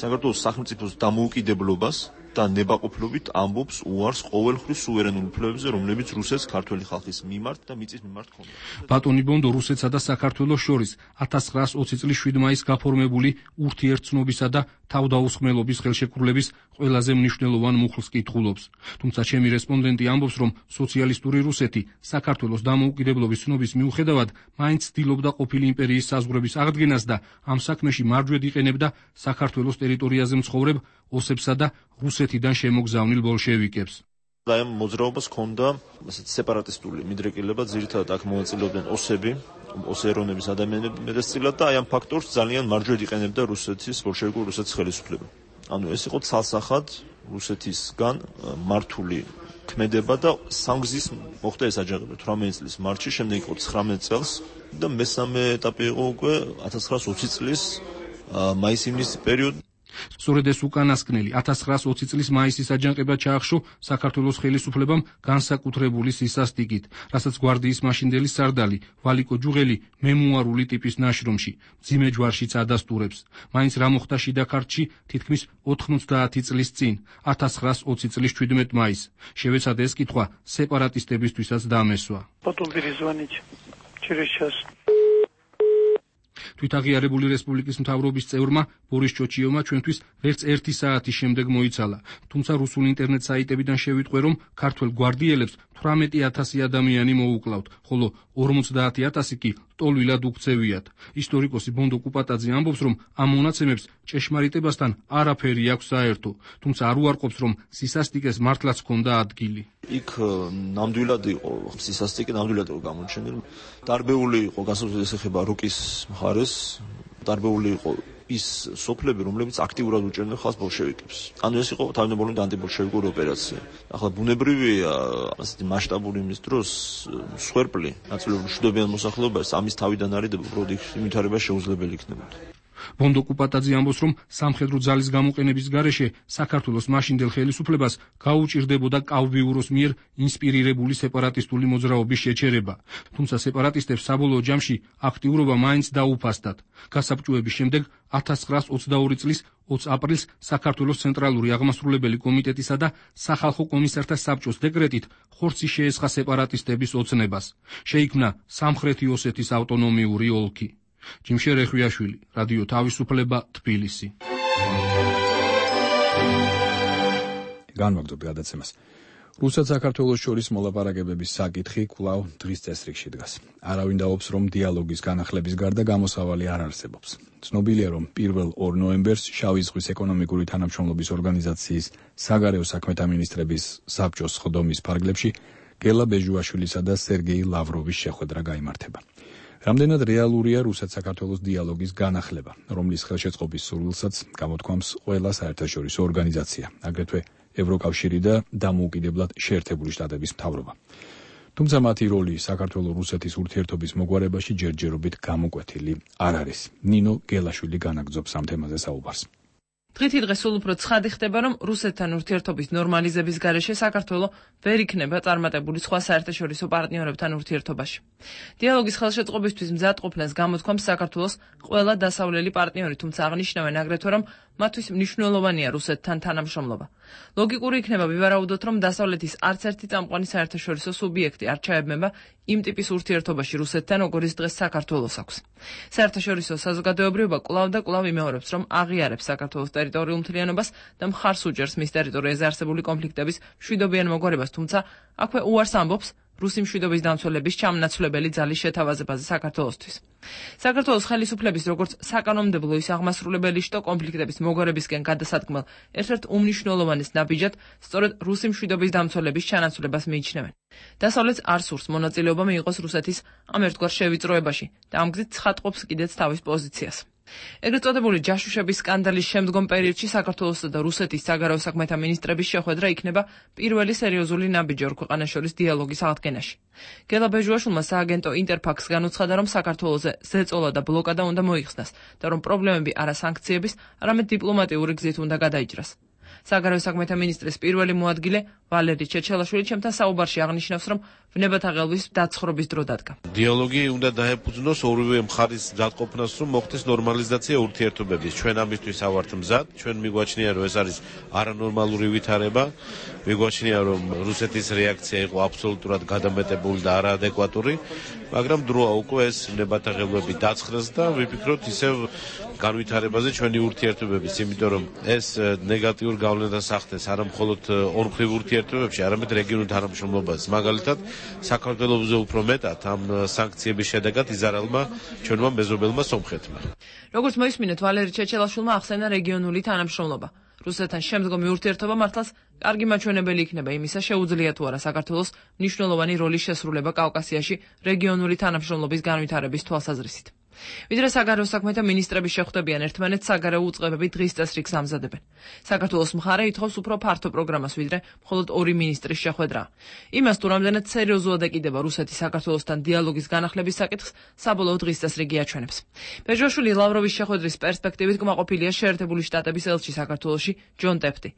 საქართველოს სახელმწიფოს დამოუკიდებლობას და ნებაყოფლობით ამბობს უარს ყოველხრივ სუვერენულ უფლებებზე, რომლებიც რუსეთს ქართველი ხალხის მიმართ და მიწის მიმართ ჰქონდა. ბატონი ბონდო რუსეთსა და საქართველოს შორის 1920 წლის 7 მაისს გაფორმებული ურთიერთცნობისა და თავდაუსხმელობის ხელშეკრულების ყველაზე მნიშვნელოვან მუხლს კითხულობს. თუმცა ჩემი რესპონდენტი ამბობს, რომ სოციალისტური რუსეთი საქართველოს დამოუკიდებლობის ცნობის მიუხედავად მაინც ცდილობდა ყოფილი იმპერიის საზღვრების აღდგენას და ამ საქმეში მარჯვედ იყენებდა საქართველოს ტერიტორიაზე მცხოვრებ ოსებსა და რუსეთიდან შემოგზავნილ ბოლშევიკებს. და ამ მოძრაობას ჰქონდა სეპარატისტული მიდრეკილება, ძირითადად აქ მონაწილეობდნენ ოსები, ოსერონების ადამიანები მეტწილად და აი ამ ფაქტორს ძალიან მარჯვედ იყენებდა რუსეთის ბოლშევიკური რუსეთის ხელისუფლება. ანუ ეს იყო ცალსახად რუსეთისგან მართული ქმედება და სამგზის მოხდა ეს აჯანყება 18 წლის მარტში, შემდეგ იყო 19 წელს და მესამე ეტაპი იყო უკვე 1920 წლის მაის-ივნისის პერიოდი. სწორედ ეს უკანასკნელი 1920 წლის მაისის აჯანყება ჩაახშო საქართველოს ხელისუფლებამ განსაკუთრებული სისასტიკით, რასაც გვარდიის მაშინდელი სარდალი ვალიკო ჯუღელი მემუარული ტიპის ნაშრომში მძიმე ჯვარშიც ადასტურებს. მაინც რა მოხდა შიდა ქართლში თითქმის 90 წლის წინ, 1920 წლის 17 მაისს. შევეცადე ეს კითხვა სეპარატისტებისთვისაც დამესვა. Потом перезвонить через час. თვითაღიარებული რესპუბლიკის მთავრობის წევრმა ბორის ჩოჩიოვმა ჩვენთვის ვერც 1 საათის შემდეგ მოიცალა, თუმცა რუსულ ინტერნეტ საიტებიდან შევიტყვე, რომ ქართველ გვარდიელებს 18,000 ადამიანი მოუკლავთ, ხოლო 50,000 კი ტოლვილად უქცევიათ. ისტორიკოსი ბონდო კუპატაძე ამბობს, რომ ამ მონაცემებს ჭეშმარიტებასთან არაფერი აქვს საერთო, თუმცა არ უარყოფს, რომ სისასტიკეს მართლაც ჰქონდა ადგილი. იქ ნამდვილად იყო სისასტიკე, ნამდვილად იყო გამოჩენილი. დარბეული იყო განსაკუთრებით ეხება რუკის მხარეს, დარბეული იყო ის სოფლები, რომლებიც აქტიურად უჭერდნენ ხალხს ბოლშევიკებს. ანუ ეს იყო თავდაპირველად ანტიბოლშევიკური ოპერაცია. ახლა ბუნებრივია ასეთი მასშტაბური იმის დროს სვერპლი, ნაწილობრივ მშვიდობიან მოსახლეობას ამის თავიდან არიდება, უბრალოდ იქ ვითარება შეუძლებელი იქნებოდა. ბონდო კუპატაძე ამბობს, რომ სამხედრო ძალის გამოყენების გარეშე საქართველოს მაშინდელ ხელისუფლებას გაუჭირდებოდა კავბიუროს მიერ ინსპირირებული სეპარატისტული მოძრაობის შეჩერება, თუმცა სეპარატისტებს საბოლოო ჯამში აქტიურობა მაინც დაუფასდათ. გასაბჭოების შემდეგ 1922 წლის 20 აპრილს საქართველოს ცენტრალური აღმასრულებელი კომიტეტისა და სახალხო კომისართა საბჭოს დეკრეტით ხორცი შეესხა სეპარატისტების ოცნებას. შეიქმნა სამხრეთი ოსეთის ავტონომიური ოლქი. ჯიმშერ ეხვიაშვილი, რადიო თავისუფლება, თბილისი. განვაგრძობთ გადაცემას. რუსეთ-საქართველოს შორის მოლაპარაკებების საკითხი კვლავ დღის წესრიგში დგას. არავინ დაობს, რომ დიალოგის განახლების გარდა გამოსავალი არ არსებობს. ცნობილია, რომ 1 ნოემბერს შავი ზღვის ეკონომიკური თანამშრომლობის ორგანიზაციის საგარეო საქმეთა მინისტრების საბჭოს სხდომის ფარგლებში გელა ბეჟუაშვილისა და სერგეი ლავროვის შეხვედრა გაიმართება. რამდენად რეალურია რუსეთ-საქართველოს დიალოგის განახლება, რომლის ხელშეწყობის სურვილსაც გამოთქვამს ყველა საერთაშორისო ორგანიზაცია, აგრეთვე ევროკავშირი და დამოუკიდებლად შეერთებული შტატების მთავრობა. თუმცა მათი როლი საქართველოს-რუსეთის ურთიერთობის მოგვარებაში ჯერჯერობით გამოკვეთილი არ არის. ნინო გელაშვილი განაგრძობს ამ თემაზე საუბარს. დღითი დღე სულ უფრო ცხადი ხდება, რომ რუსეთთან ურთიერთობის ნორმალიზების გარეშე საქართველო ვერ იქნება წარმატებული სხვა საერთაშორისო პარტნიორებთან ურთიერთობაში. დიალოგის ხელშეწყობისთვის მზადყოფნას გამოთქვამს საქართველოს ყველა დასავლელი პარტნიორი, თუმცა აღნიშნავენ აგრეთვე, რომ მათთვის მნიშვნელოვანია რუსეთთან თანამშრომლობა. ლოგიკური იქნება ვივარაუდოთ, რომ დასავლეთის არც ერთი წამყვანი საერთაშორისო სუბიექტი არ ჩაებმება იმ ტიპის ურთიერთობაში რუსეთთან, როგორიც დღეს საქართველოს აქვს. საერთაშორისო საზოგადოებრიობა კვლავ და კვლავ იმეორებს, რომ აღიარებს საქართველოს ტერიტორიულ მთლიანობას და მხარს უჭერს მის ტერიტორიაზე არსებული კონფლიქტების მშვიდობიან მოგვარებას, თუმცა აქვე უარს ამბობს რუსი მშვიდობის დამცველების ჩამნაცვლებელი ძალის შეთავაზებაზე საქართველოსთვის. საქართველოს ხელისუფლების როგორც საკანონმდებლო ის აღმასრულებელი შტო კონფლიქტების მოგვარებისკენ გადასადგმელ ერთ-ერთ უმნიშვნელოვანეს ნაბიჯად სწორედ რუსი მშვიდობის დამცველების ჩანაცვლებას მიიჩნევენ. დასავლეთს არ სურს მონაწილეობა მიიღოს რუსეთის ამ ერთგვარ შევიწროებაში და ამ გზით ცხადყოფს კიდეც თავის პოზიციას. ეგრეთ წოდებული ჯაშუშების სკანდალის შემდგომ პერიოდში საქართველოსა და რუსეთის საგარეო საქმეთა მინისტრების შეხვედრა იქნება პირველი სერიოზული ნაბიჯი ორ ქვეყანას შორის დიალოგის აღდგენაში. გელა ბეჟუაშვილმა სააგენტო ინტერფაქს განუცხადა, რომ საქართველოზე ზეწოლა და ბლოკადა უნდა მოიხსნას და რომ პრობლემები არა სანქციების, არამედ დიპლომატიური გზით უნდა გადაიჭრას. საგარეო საქმეთა მინისტრის პირველი მოადგილე ვალერი ჩეჩელაშვილი ჩემთან საუბარში აღნიშნავს, რომ ვნებათა ღელვის დაცხრობის დრო დადგა. დიალოგი უნდა დაეფუძნოს ორივე მხარის მზადყოფნას, რომ მოხდეს ნორმალიზაცია ურთიერთობების. ჩვენ ამისთვის ავართ მზად, ჩვენ მიგვაჩნია, რომ ეს არის არანორმალური ვითარება. მიგვაჩნია, რომ რუსეთის რეაქცია იყო აბსოლუტურად გადამეტებული და არაადეკვატური, მაგრამ დროა უკვე ეს ვნებათა ღელვები დაცხრეს და ვიფიქროთ ისევ განვითარებაზე ჩვენი ურთიერთობების, იმიტომ რომ ეს ნეგატიურ გავლენას ახდენს არა მხოლოდ ორმხრივ ურთიერთობებში, არამედ რეგიონულ თანამშრომლობაზე. მაგალითად, საქართველოზე უფრო მეტად ამ სანქციების შედეგად იზარალმა ჩვენმა მეზობელმა სომხეთმა. როგორც მოისმინეთ, ვალერი ჩეჩელაშვილმა ახსენა რეგიონული თანამშრომლობა. რუსეთთან შემდგომი ურთიერთობა მართლაც კარგი მაჩვენებელი იქნება იმისა, შეუძლია თუ არა საქართველოს მნიშვნელოვანი როლის შესრულება კავკასიაში რეგიონული თანამშრომლობის განვითარების თვალსაზრისით. ვიდრე საგარეო საქმეთა მინისტრები შეხვდებიან ერთმანეთს, საგარეო უწყებები დღის წესრიგს ამზადებენ. საქართველოს მხარე ითხოვს უფრო ფართო პროგრამას, ვიდრე მხოლოდ ორი მინისტრის შეხვედრა. იმას თუ რამდენად სერიოზულად ეკიდება რუსეთი საქართველოსთან დიალოგის განახლების საკითხს, საბოლოო დღის წესრიგი აჩვენებს. ბეჟუაშვილი ლავროვის შეხვედრის პერსპექტივით კმაყოფილია შეერთებული შტატების ელჩი საქართველოში ჯონ ტეფტი.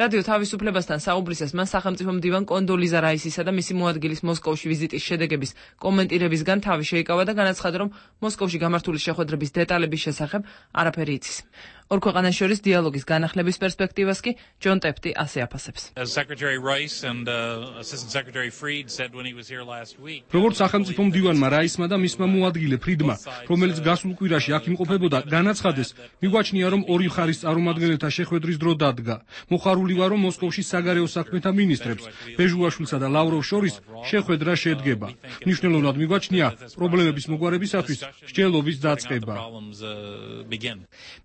რადიო თავისუფლებასთან საუბრისას მან სახელმწიფო მდივან კონდოლიზა რაისისა და მისი მოადგილის მოსკოვში ვიზიტის შედეგების კომენტირებისგან თავი შეიკავა და განაცხადა, რომ მოსკოვში გამართული შეხვედრების დეტალების შესახებ არაფერი იცის. ორ ქვეყანას შორის დიალოგის განახლების პერსპექტივას კი ჯონ ტეფტი ასე აფასებს. როგორც სახელმწიფო მდივანმა რაისმა და მისმა მოადგილე ფრიდმა, რომელიც გასულ კვირაში აქ იმყოფებოდა, განაცხადეს, მიგვაჩნია, რომ ორი მხარის წარმომადგენელთა შეხვედრის დრო დადგა. მოხარული ვარ, რომ მოსკოვში საგარეო საქმეთა მინისტრებს, ბეჟუაშვილსა და ლავროვს შორის შეხვედრა შედგება. მნიშვნელოვნად მიგვაჩნია პრობლემების მოგვარებისათვის მსჯელობის დაწყება.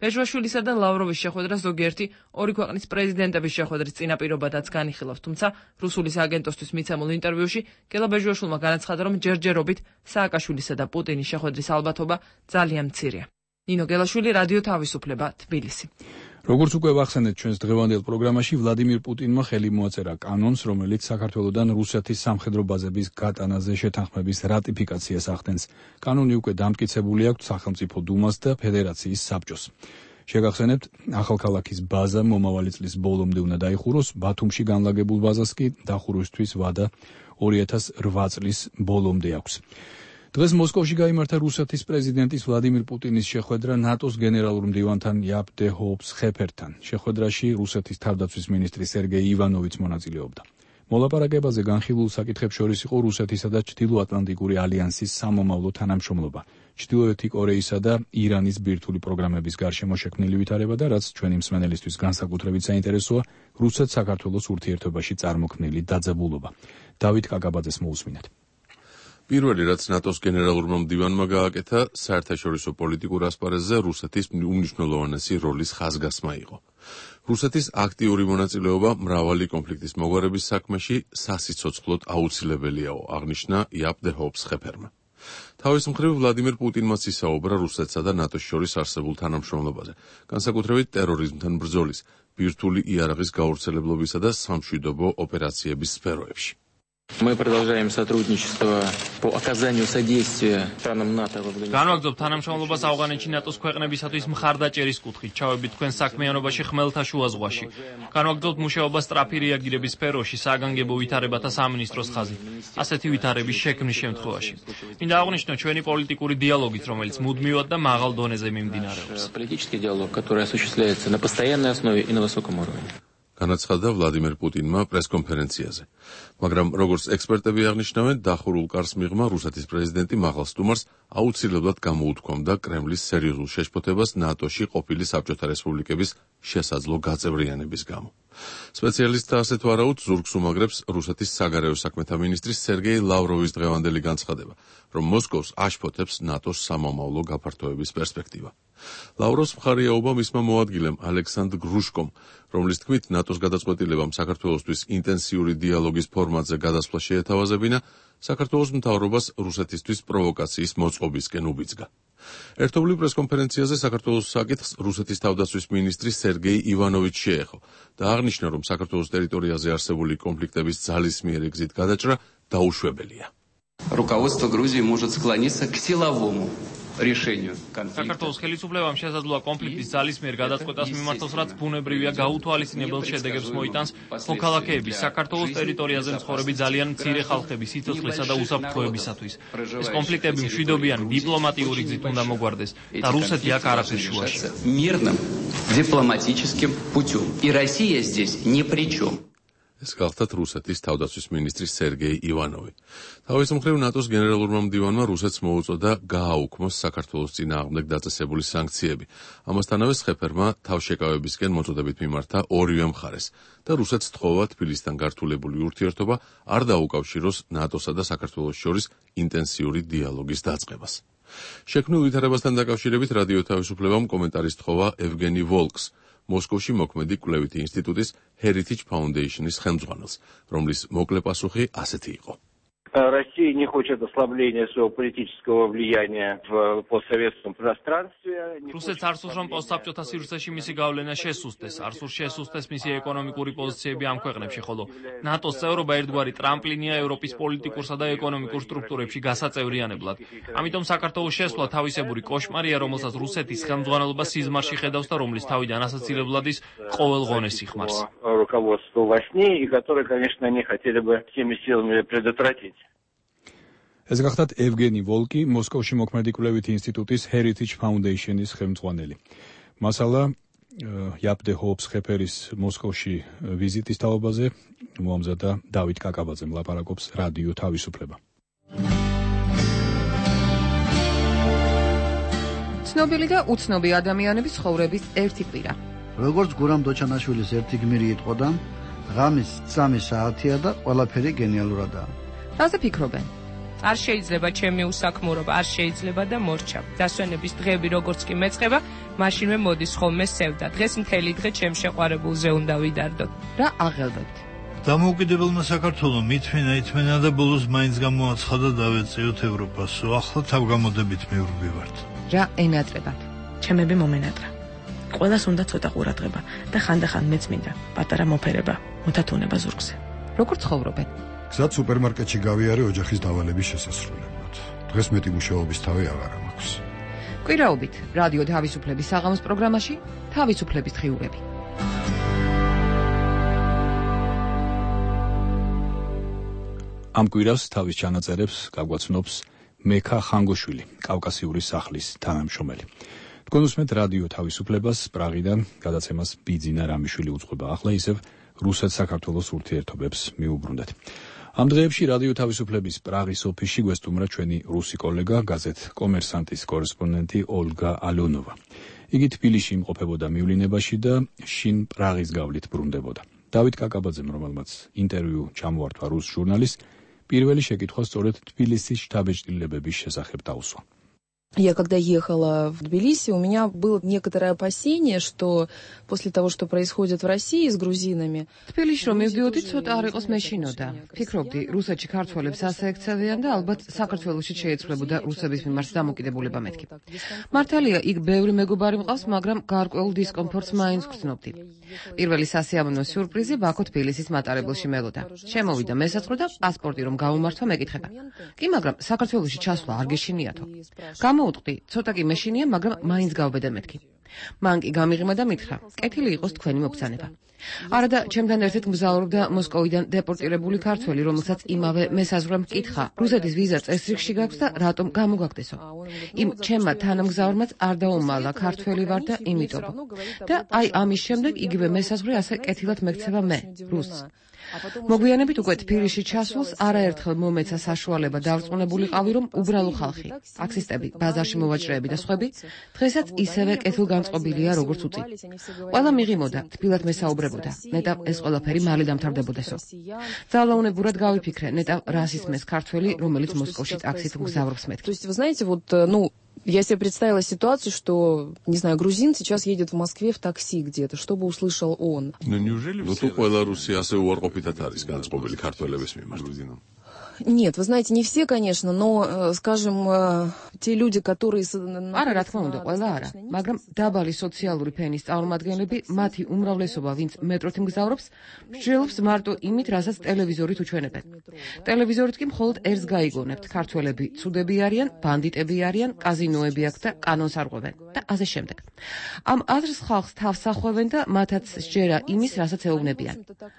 ბეჟუაშვილისა და ლავროვის შეხვედრა ზოგიერთი ორი ქვეყნის პრეზიდენტების შეხვედრის წინაპირობადაც განიხილავს, თუმცა რუსული სააგენტოსთვის მიცემულ ინტერვიუში გელა ბეჟუაშვილმა განაცხადა, რომ ჯერჯერობით სააკაშვილისა და პუტინის შეხვედრის ალბათობა ძალიან მცირეა. ნინო გელაშვილი, რადიო თავისუფლება, თბილისი. როგორც უკვე ვახსენეთ ჩვენს დღევანდელ პროგრამაში, ვლადიმირ პუტინმა ხელი მოაწერა კანონს, რომელიც საქართველოდან რუსეთის სამხედრო ბაზების გატანაზე შეთანხმების რატიფიკაციას ახდენს. კანონი უკვე დამტკიცებული აქვს სახელმწიფო დუმას და ფედერაციის საბჭოს. შეგახსენებთ, ახალქალაქის ბაზა მომავალი წლის ბოლომდე უნდა დაიხუროს, ბათუმში განლაგებულ ბაზას კი დახურვისთვის ვადა 2008 წლის ბოლომდე აქვს. დღეს მოსკოვში გაიმართა რუსეთის პრეზიდენტის ვლადიმირ პუტინის შეხვედრა ნატოს გენერალურ მდივანთან იაპ დე ჰოპს-ხეფერთან. შეხვედრაში რუსეთის თავდაცვის მინისტრი სერგეი ივანოვიც მონაწილეობდა. მოლაპარაკებაზე განხილულ საკითხებს შორის იყო რუსეთისა და ჩრდილოატლანტიკური ალიანსის სამომავლო თანამშრომლობა, ჩრდილოეთი კორეისა და ირანის ბირთვული პროგრამების გარშემო შექმნილი ვითარება და რაც ჩვენი მსმენელისთვის განსაკუთრებით საინტერესოა, რუსეთ-საქართველოს ურთიერთობაში წარმოქმნილი დაძაბულობა. დავით კაკაბაძეს მოусმინეთ. პირველი რაც ნატოს გენერალურმა მდივანმა გააკეთა, საერთაშორისო პოლიტიკურ ასპარეზზე რუსეთის უმნიშვნელოვანესი როლის ხაზგასმა იყო. რუსეთის აქტიური მონაწილეობა მრავალი კონფლიქტის მოგვარების საქმეში სასიცოცხლოდ აუცილებელიაო, აღნიშნა იაპ დე ჰოპს-ხეფერმა. თავის მხრივ ვლადიმირ პუტინმაც ისაუბრა რუსეთსა და ნატოს შორის არსებულ თანამშრომლობაზე, განსაკუთრებით ტერორიზმთან ბრძოლის, ბირთვული იარაღის გავრცელებლობისა და სამშვიდობო ოპერაციების სფეროებში. Мы продолжаем сотрудничество по оказанию содействия странам НАТО во время. განვაგრძობთ თანამშრომლობას ავღანეთში ნატოს ქვეყნებისათვის მხარდაჭერის კუთხით, ჩავებით თქვენ საქმიანობაში ხმელთაშუა ზღვაში. განვაგრძობთ მუშაობას სწრაფი რეაგირების სფეროში, საგანგებო ვითარებათა სამინისტროს ხაზით. ასეთი ვითარების შექმნის შემთხვევაში. მინდა აღვნიშნო ჩვენი პოლიტიკური დიალოგით, რომელიც მუდმივად და მაღალ დონეზე მიმდინარეობს. Политический диалог, который осуществляется на постоянной основе и на высоком уровне. განაცხადა ვლადიმირ პუტინმა პრესკონფერენციაზე. მაგრამ როგორც ექსპერტები აღნიშნავენ, დახურულ კარს მიღმა რუსეთის პრეზიდენტი მაღალ სტუმარს აუცილებლად გამოუთქვამდა კრემლის სერიოზულ შეშფოთებას ნატოში ყოფილი საბჭოთა რესპუბლიკების შესაძლო გაწევრიანების გამო. სპეციალისტთა ასეთ ვარაუდს ზურგს უმაგრებს რუსეთის საგარეო საქმეთა მინისტრის სერგეი ლავროვის დღევანდელი განცხადება, რომ მოსკოვს აშფოთებს ნატოს სამომავლო გაფართოების პერსპექტივა. ლავროს მხარეაობა მისმა მოადგილემ ალექსანდრ გრუშკომ, რომლის თქმით ნატოს გადაწყვეტილებამ საქართველოსთვის ინტენსიური დიალოგის ფორმატზე გადასვლა შეეთავაზებინა, საქართველოს მთავრობას რუსეთისთვის პროვოკაციის მოწყობისკენ უბიძგა. ერთობლივ პრესკონფერენციაზე საქართველოს საკითხს რუსეთის თავდაცვის მინისტრი სერგეი ივანოვიჩი შეეხო და აღნიშნა, რომ საქართველოს ტერიტორიაზე არსებული კონფლიქტების ძალისმიერი გზით გადაჭრა დაუშვებელია. Руководство Грузии может склониться к силовому решению конфликта. საქართველოს ხელისუფლებამ შესაძლოა კონფლიქტის ძალისმიერ გადაწყვეტას მიმართოს, რაც ბუნებრივია გაუთვალისწინებელ შედეგებს მოიტანს მოქალაქეების საქართველოს ტერიტორიაზე მცხოვრები ძალიან მცირე ხალხების სიცოცხლისა და უსაფრთხოებისათვის. ეს კონფლიქტები მშვიდობიანი დიპლომატიური გზით უნდა მოგვარდეს და რუსეთი აქ არაფერს შუაში. Мирным дипломатическим путем. И Россия здесь ни при чем. ეს გახლდათ რუსეთის თავდაცვის მინისტრი სერგეი ივანოვი. თავის მხრივ ნატოს გენერალურმა მდივანმა რუსეთს მოუწოდა გააუქმოს საქართველოს წინააღმდეგ დაწესებული სანქციები. ამასთანავე ხეფერმა თავშეკავებისკენ მოწოდებით მიმართა ორივე მხარეს და რუსეთს თხოვა თბილისთან გართულებული ურთიერთობა არ დაუკავშიროს ნატოსა და საქართველოს შორის ინტენსიური დიალოგის დაწყებას. შექმნილ ვითარებასთან დაკავშირებით რადიო თავისუფლებამ კომენტარის თხოვა ევგენი ვოლკს, მოსკოვში მოქმედი კვლევითი ინსტიტუტის Heritage Foundation-ის ხელმძღვანელს, რომლის მოკლე პასუხი ასეთი იყო. Россия не хочет ослабления своего политического влияния в постсоветском пространстве. რუსეთს არ სურს, რომ პოსტსაბჭოთა სივრცეში მისი გავლენა შესუსტეს, არ სურს შესუსტეს მისი ეკონომიკური პოზიციები ამ ქვეყნებში, ხოლო ნატოს წევრობა ერთგვარი ტრამპლინია ევროპის პოლიტიკურსა და ეკონომიკურ სტრუქტურებში გასაწევრიანებლად. ამიტომ საქართველოს შესვლა თავისებური კოშმარია, რომელსაც რუსეთის ხელმძღვანელობა სიზმარში ხედავს და რომლის თავიდან ასაცილებლად ის ყოველ ღონეს იხმარს. Руководство во сне, и которые, конечно, они хотели бы всеми силами предотвратить. ეს გახლდათ ევგენი ვოლკი, მოსკოვში მოქმედი კვლევითი ინსტიტუტის Heritage Foundation-ის ხელმძღვანელი. მასალა იაპდე ჰოუპს-ხეფერის მოსკოვში ვიზიტის თაობაზე მოამზადა დავით კაკაბაძემ ლაპარაკობს რადიო თავისუფლება. ცნობილი და უცნობი ადამიანების ცხოვრების ერთი კვირა. როგორც გურამ დოჩანაშვილის ერთი გმირი იტყოდა, ღამის 3 საათია და ყველაფერი გენიალურადაა. რაზე ფიქრობენ? არ შეიძლება ჩემი უსაქმურობა, არ შეიძლება და მორჩა. დასვენების დღეები როგორც კი მეწყება, მაშინვე მოდის ხოლმე სევდა. დღეს მთელი დღე ჩემ შეყვარებულზე უნდა ვიდარდოთ. რა აღელვებთ? დამოუკიდებელმა საქართველომ ითმენა და ბოლოს მაინც გამოაცხადა დავეწიოთ ევროპას. ახლა თავგამოდებით მივრბივართ. რა ენატრებათ? ჩემები მომენატრა. ყველას უნდა ცოტა ყურადღება და ხანდახან მეც მინდა პატარა მოფერება, მოთათუნება ზურგზე. როგორ ცხოვრობენ? გზად სუპერმარკეტში გავიარე ოჯახის დავალების შესასრულებლად. დღეს მეტი მუშაობის თავი აღარ მაქვს. კვირაობით რადიო თავისუფლების საღამოს პროგრამაში თავისუფლების დღიურები. ამ კვირას თავის ჩანაწერებს გაგვაცნობს მექა ხანგოშვილი, კავკასიური სახლის თანამშრომელი. თქვენ უსმენთ რადიო თავისუფლებას პრაღიდან, გადაცემას ბიძინა რამიშვილი უძღვება. ახლა ისევ რუსეთ-საქართველოს ურთიერთობებს მიუბრუნდეთ. ამ დღეებში რადიო თავისუფლების პრაღის ოფისში გვესტუმრა ჩვენი რუსი კოლეგა, გაზეთ კომერსანტის კორესპონდენტი ოლგა ალიონოვა. იგი თბილისში იმყოფებოდა მივლინებაში და შინ პრაღის გავლით ბრუნდებოდა. დავით კაკაბაძემ, რომელმაც ინტერვიუ ჩამოართვა რუს ჟურნალისტს, პირველი შეკითხვა სწორედ თბილისის შთაბეჭდილებების შესახებ დაუსვა. Я когда ехала в Тбилиси, у меня было некоторое опасение, что после того, что происходит в России с грузинами... თბილისში რომ მივდიოდი, ცოტა არ იყოს მეშინოდა. ფიქრობდი, რუსეთში ქართველებს ასე ექცევიან და ალბათ საქართველოში შეეცვლებოდა რუსების მიმართ დამოკიდებულება მეთქი. მართალია, იქ ბევრი მეგობარი მყავს, მაგრამ გარკვეულ დისკომფორტს მაინც გრძნობდი. პირველი სასიამოვნო სიურპრიზი ბაქო თბილისის მატარებელში მელოდა. შემოვიდა მესაწყო და პასპორტი რომ გამომართვა მეკითხება. კი, მაგრამ საქართველოში ჩასვლა არ გეშინიათო. გამოუტყდი, ცოტა კი მეშინია, მაგრამ მაინც გავბედა მეთქი. მან კი გამიღიმა და მითხრა, კეთილი იყოს თქვენი მობრძანება. არა და ჩემთან ერთად მგზავრობდა მოსკოვიდან დეპორტირებული ქართველი, რომელსაც იმავე მესაზღვრემ მკითხა, რუსეთის ვიზა წესრიგში გაქვს და რატომ გამოგაგდესო. იმ ჩემმა თანამგზავრმაც არ დაუმალა, ქართველი ვარ და იმიტომ. და აი ამის შემდეგ იგივე მესაზღვრე ასე კეთილად მეკცევა მე, რუსს. მოგვიანებით უკვე თბილისში ჩასულს არაერთხელ მომეცა საშუალება დავrწმუნებულიყავი, რომ უბრალო ხალხი, ტაქსისტები, ბაზარში მოვაჭრეები და სხვები, დღესაც ისევე კეთილგანწყობილია, როგორც უწინ. ყველა მიღიმოდა, თბილად მესაუბრებოდა, ნეტავ ეს ყველაფერი მალე დამთავრდებოდესო. ძალაუნებურად გავიფიქრე, ნეტავ რას ისმეს ქართველი, რომელიც მოსკოვში ტაქსით მგზავრობს მეთქი. То есть, вы знаете, вот, я себе представила ситуацию, что, не знаю, грузин сейчас едет в Москве в такси где-то, чтобы услышал он. Ну, то ყველა რუსი ასე უარყოფითად არის განწყობილი ქართველების მიმართ. Нет, вы знаете, не все, конечно, но, скажем, те люди, которые... არა, რა თქმა უნდა, ყველა არა, მაგრამ დაბალი სოციალური ფენის წარმომადგენლები, მათი უმრავლესობა, ვინც მეტროთი მგზავრობს, მსჯელობს მარტო იმით, რასაც ტელევიზორით უჩვენებენ. ტელევიზორით კი მხოლოდ ერთს გაიგონებთ, ქართველები ცუდები არიან, ბანდიტები არიან, კაზინოები აქვს და კანონს არღვევენ და ასე შემდეგ. ამ აზრს ხალხს თავს ახვევენ და მათაც სჯერა იმის, რასაც ეუბნებიან.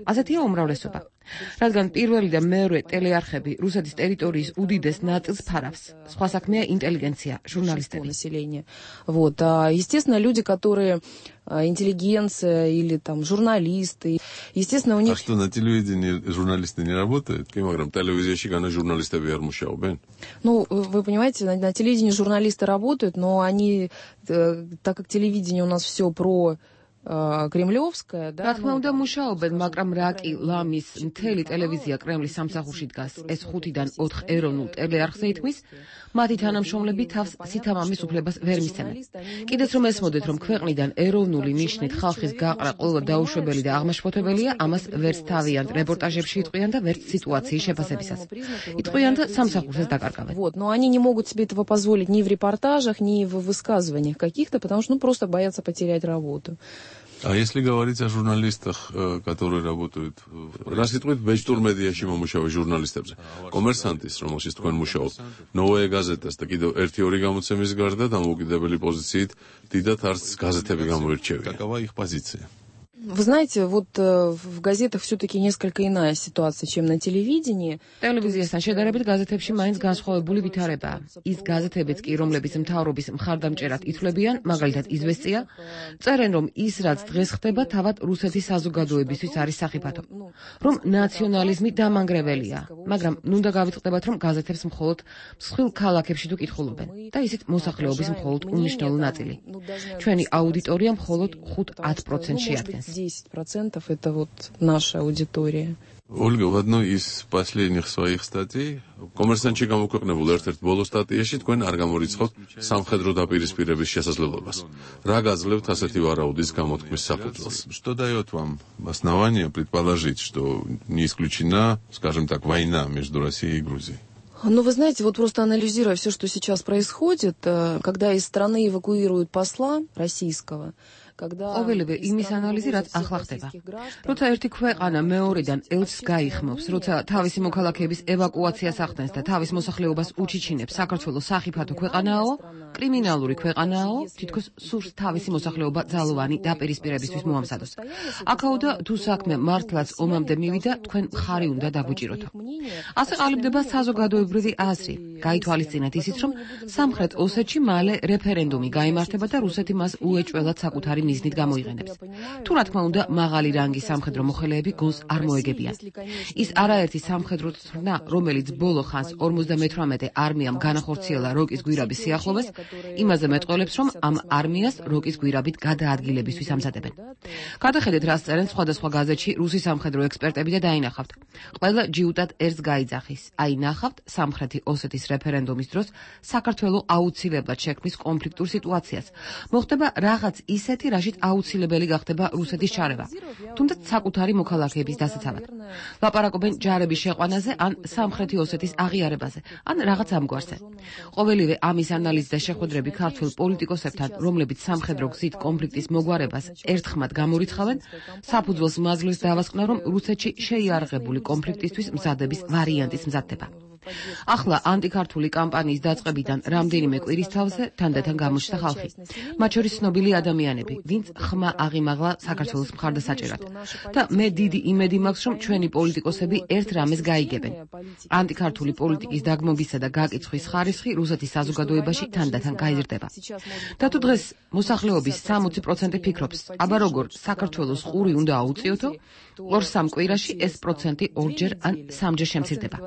ასეთია უმრავლესობა. რადგან პირველი და მეორე ტელეარხები რუსეთის ტერიტორიის უდიდეს ნაწილს ფარავს. სხვა საქმეა ინტელიგენცია, ჟურნალისტები. Вот, естественно, люди, которые интеллигенция или там журналисты, естественно, у них... А что, на телевидении журналисты не работают? Килограмм телевизии гана журналисты вермушаубен. Ну, вы понимаете, на телевидении журналисты работают, но они, так как телевидение у нас все про კრემლიოვსკая, да? რა თქმა უნდა მუშაობენ, მაგრამ რა კი ლამის მთელი ტელევიზია კრემლის სამსახურში დგას, ეს 5-დან 4 ეროვნულ ტელეარხზე ითქმის, მათი თანამშრომლები თავს სითამამის უფლებას ვერ მისცემენ. კიდეც რომ ესმოდეთ, რომ ქვეყნიდან ეროვნული ნიშნით ხალხის გაყრა ყველა დაუშვებელი და აღმაშფოთებელია, ამას ვერც თავიანთ რეპორტაჟებში იტყვიან და ვერც სიტუაციის შეფასებისას. იტყვიან და სამსახურსაც დაკარგავენ. Вот, но они не могут себе этого позволить ни в репортажах, ни в высказываниях каких-то, потому что, просто боятся потерять работу. А если говорить о журналистах, которые работают... Раз იტყვით ვეჯდურ მედიაში მომუშავე ჟურნალისტებზე, კომერსანტის, რომელშიც თქვენ მუშაობთ, ნოვაია გაზეტას და კიდევ 1-2 გამოცემის გარდა დამოუკიდებელი პოზიციით დიდად არც გაზეთები გამოირჩევიან. Какова их позиция? Вы знаете, вот в газетах все-таки несколько иная ситуация, чем на телевидении. ტელევიზიასთან შედარებით გაზეთებში მაინც განსხვავებული ვითარებაა. ის გაზეთებიც კი, რომლებიც მთავრობის მხარდამჭერად ითვლებიან, მაგალითად იზვესტია, წერენ, რომ ის, რაც დღეს ხდება, თავად რუსეთის საზოგადოებისთვის არის სახიფათო, რომ ნაციონალიზმი დამანგრეველია, მაგრამ ნუნდა გავიწყდებათ, რომ გაზეთებს მხოლოდ მსხვილ ქალაქებში თუ კითხულობენ და ისიც მოსახლეობის მხოლოდ უნიშნელო ნაწილი. ჩვენი აუდიტორია მხოლოდ 5-10%-ში ადგენს. 10% это вот наша аудитория. Ольга, в одной из последних своих статей კომერსანტში გამოქვეყნებულ ერთ-ერთ ბოლო სტატიაში თქვენ არ გამორიცხავთ სამხედრო დაპირისპირების შესაძლებლობას. რა გაძლევთ ასეთი ვარაუდის გამოთქმის საფუძველს? Что дает вам основание предположить, что не исключена, скажем так, война между Россией и Грузией? Ну, вы знаете, вот просто анализируя все, что сейчас происходит, когда из страны эвакуируют посла российского, ყოველივე იმის ანალიზი, რაც ახლა ხდება. როცა ერთი ქვეყანა მეორედან ელჩს გაიხმობს, როცა თავისი მოქალაქეების ევაკუაციას ახდენს და თავის მოსახლეობას უჩიჩინებს, საქართველოს სახიფათო ქვეყანაო, კრიმინალური ქვეყანაო, თითქოს სურს თავისი მოსახლეობა ძალოვანი დაპირისპირებისთვის მოამზადოს. აქაოდა თუ საქმე მართლაც ომამდე მივიდა, თქვენ მხარი უნდა დაგვიჭიროთო. ასე ყალიბდება საზოგადოებრივი აზრი. გაითვალისწინეთ ისიც, რომ სამხრეთ ოსეთში მალე რეფერენდუმი გაიმართება და რუსეთი მას უეჭველად საკუთარი მიზნით გამოიყენებს. თუ რა თქმა უნდა, მაღალი რანგის სამხედრო მოხელეები გონს არ მოეგებიან. ის არაერთი სამხედრო ცრნა, რომელიც ბოლო ხანს 58 არმიამ განახორციელა როკის გვირაბის სიახლოვეს, იმაზე მეტყველებს, რომ ამ არმიას როკის გვირაბით გადაადგილებისთვის ამზადებენ. გადახედეთ, რას წერენ სხვადასხვა გაზეთში რუსი სამხედრო ექსპერტები და დაინახავთ. ყველა ჯიუტად ერთს გაიძახის. აი ნახავთ სამხრეთი ოსეთის რეფერენდუმის დროს საქართველოს აუცილებლად შექმნის კონფლიქტურ სიტუაციას. მოხდება რაღაც ისეთი, რაშიც აუცილებელი გახდება რუსეთის ჩარევა. თუმცა საკუთარი მოქალაქეების დასაცავად. ლაპარაკობენ ჯარების შეყვანაზე ან სამხრეთი ოსეთის აღიარებაზე, ან რაღაც ამგვარზე. ყოველივე ამის ანალიზი და შეხვედრები ქართველ პოლიტიკოსებთან, რომლებიც სამხედრო გზით კონფლიქტის მოგვარებას ერთხმად გამორიცხავენ, საფუძველს მაძლევს დავასკვნა, რომ რუსეთში შეიარაღებული კონფლიქტისთვის მზადების ვარიანტის მზადდება. ახლა ანტიქართული კამპანიის დაწყებიდან რამდენიმე კვირის თავზე თანდათან გამოჩნდა ხალხი. მათ შორის ცნობილი ადამიანები, ვინც ხმა აღიმაღლა საქართველოს მხარდასაჭერად. და მე დიდი იმედი მაქვს, რომ ჩვენი პოლიტიკოსები ერთ რამეს გაიგებენ. ანტიქართული პოლიტიკის დაგმობისა და გაკიცხვის ხარისხი რუსეთის საზოგადოებაში თანდათან გაიზრდება. და თუ დღეს მოსახლეობის 60% ფიქრობს, აბა როგორ საქართველოს ყური უნდა აუწიოთო, 2-3 კვირაში ეს პროცენტი 2-ჯერ ან 3-ჯერ შემცირდება.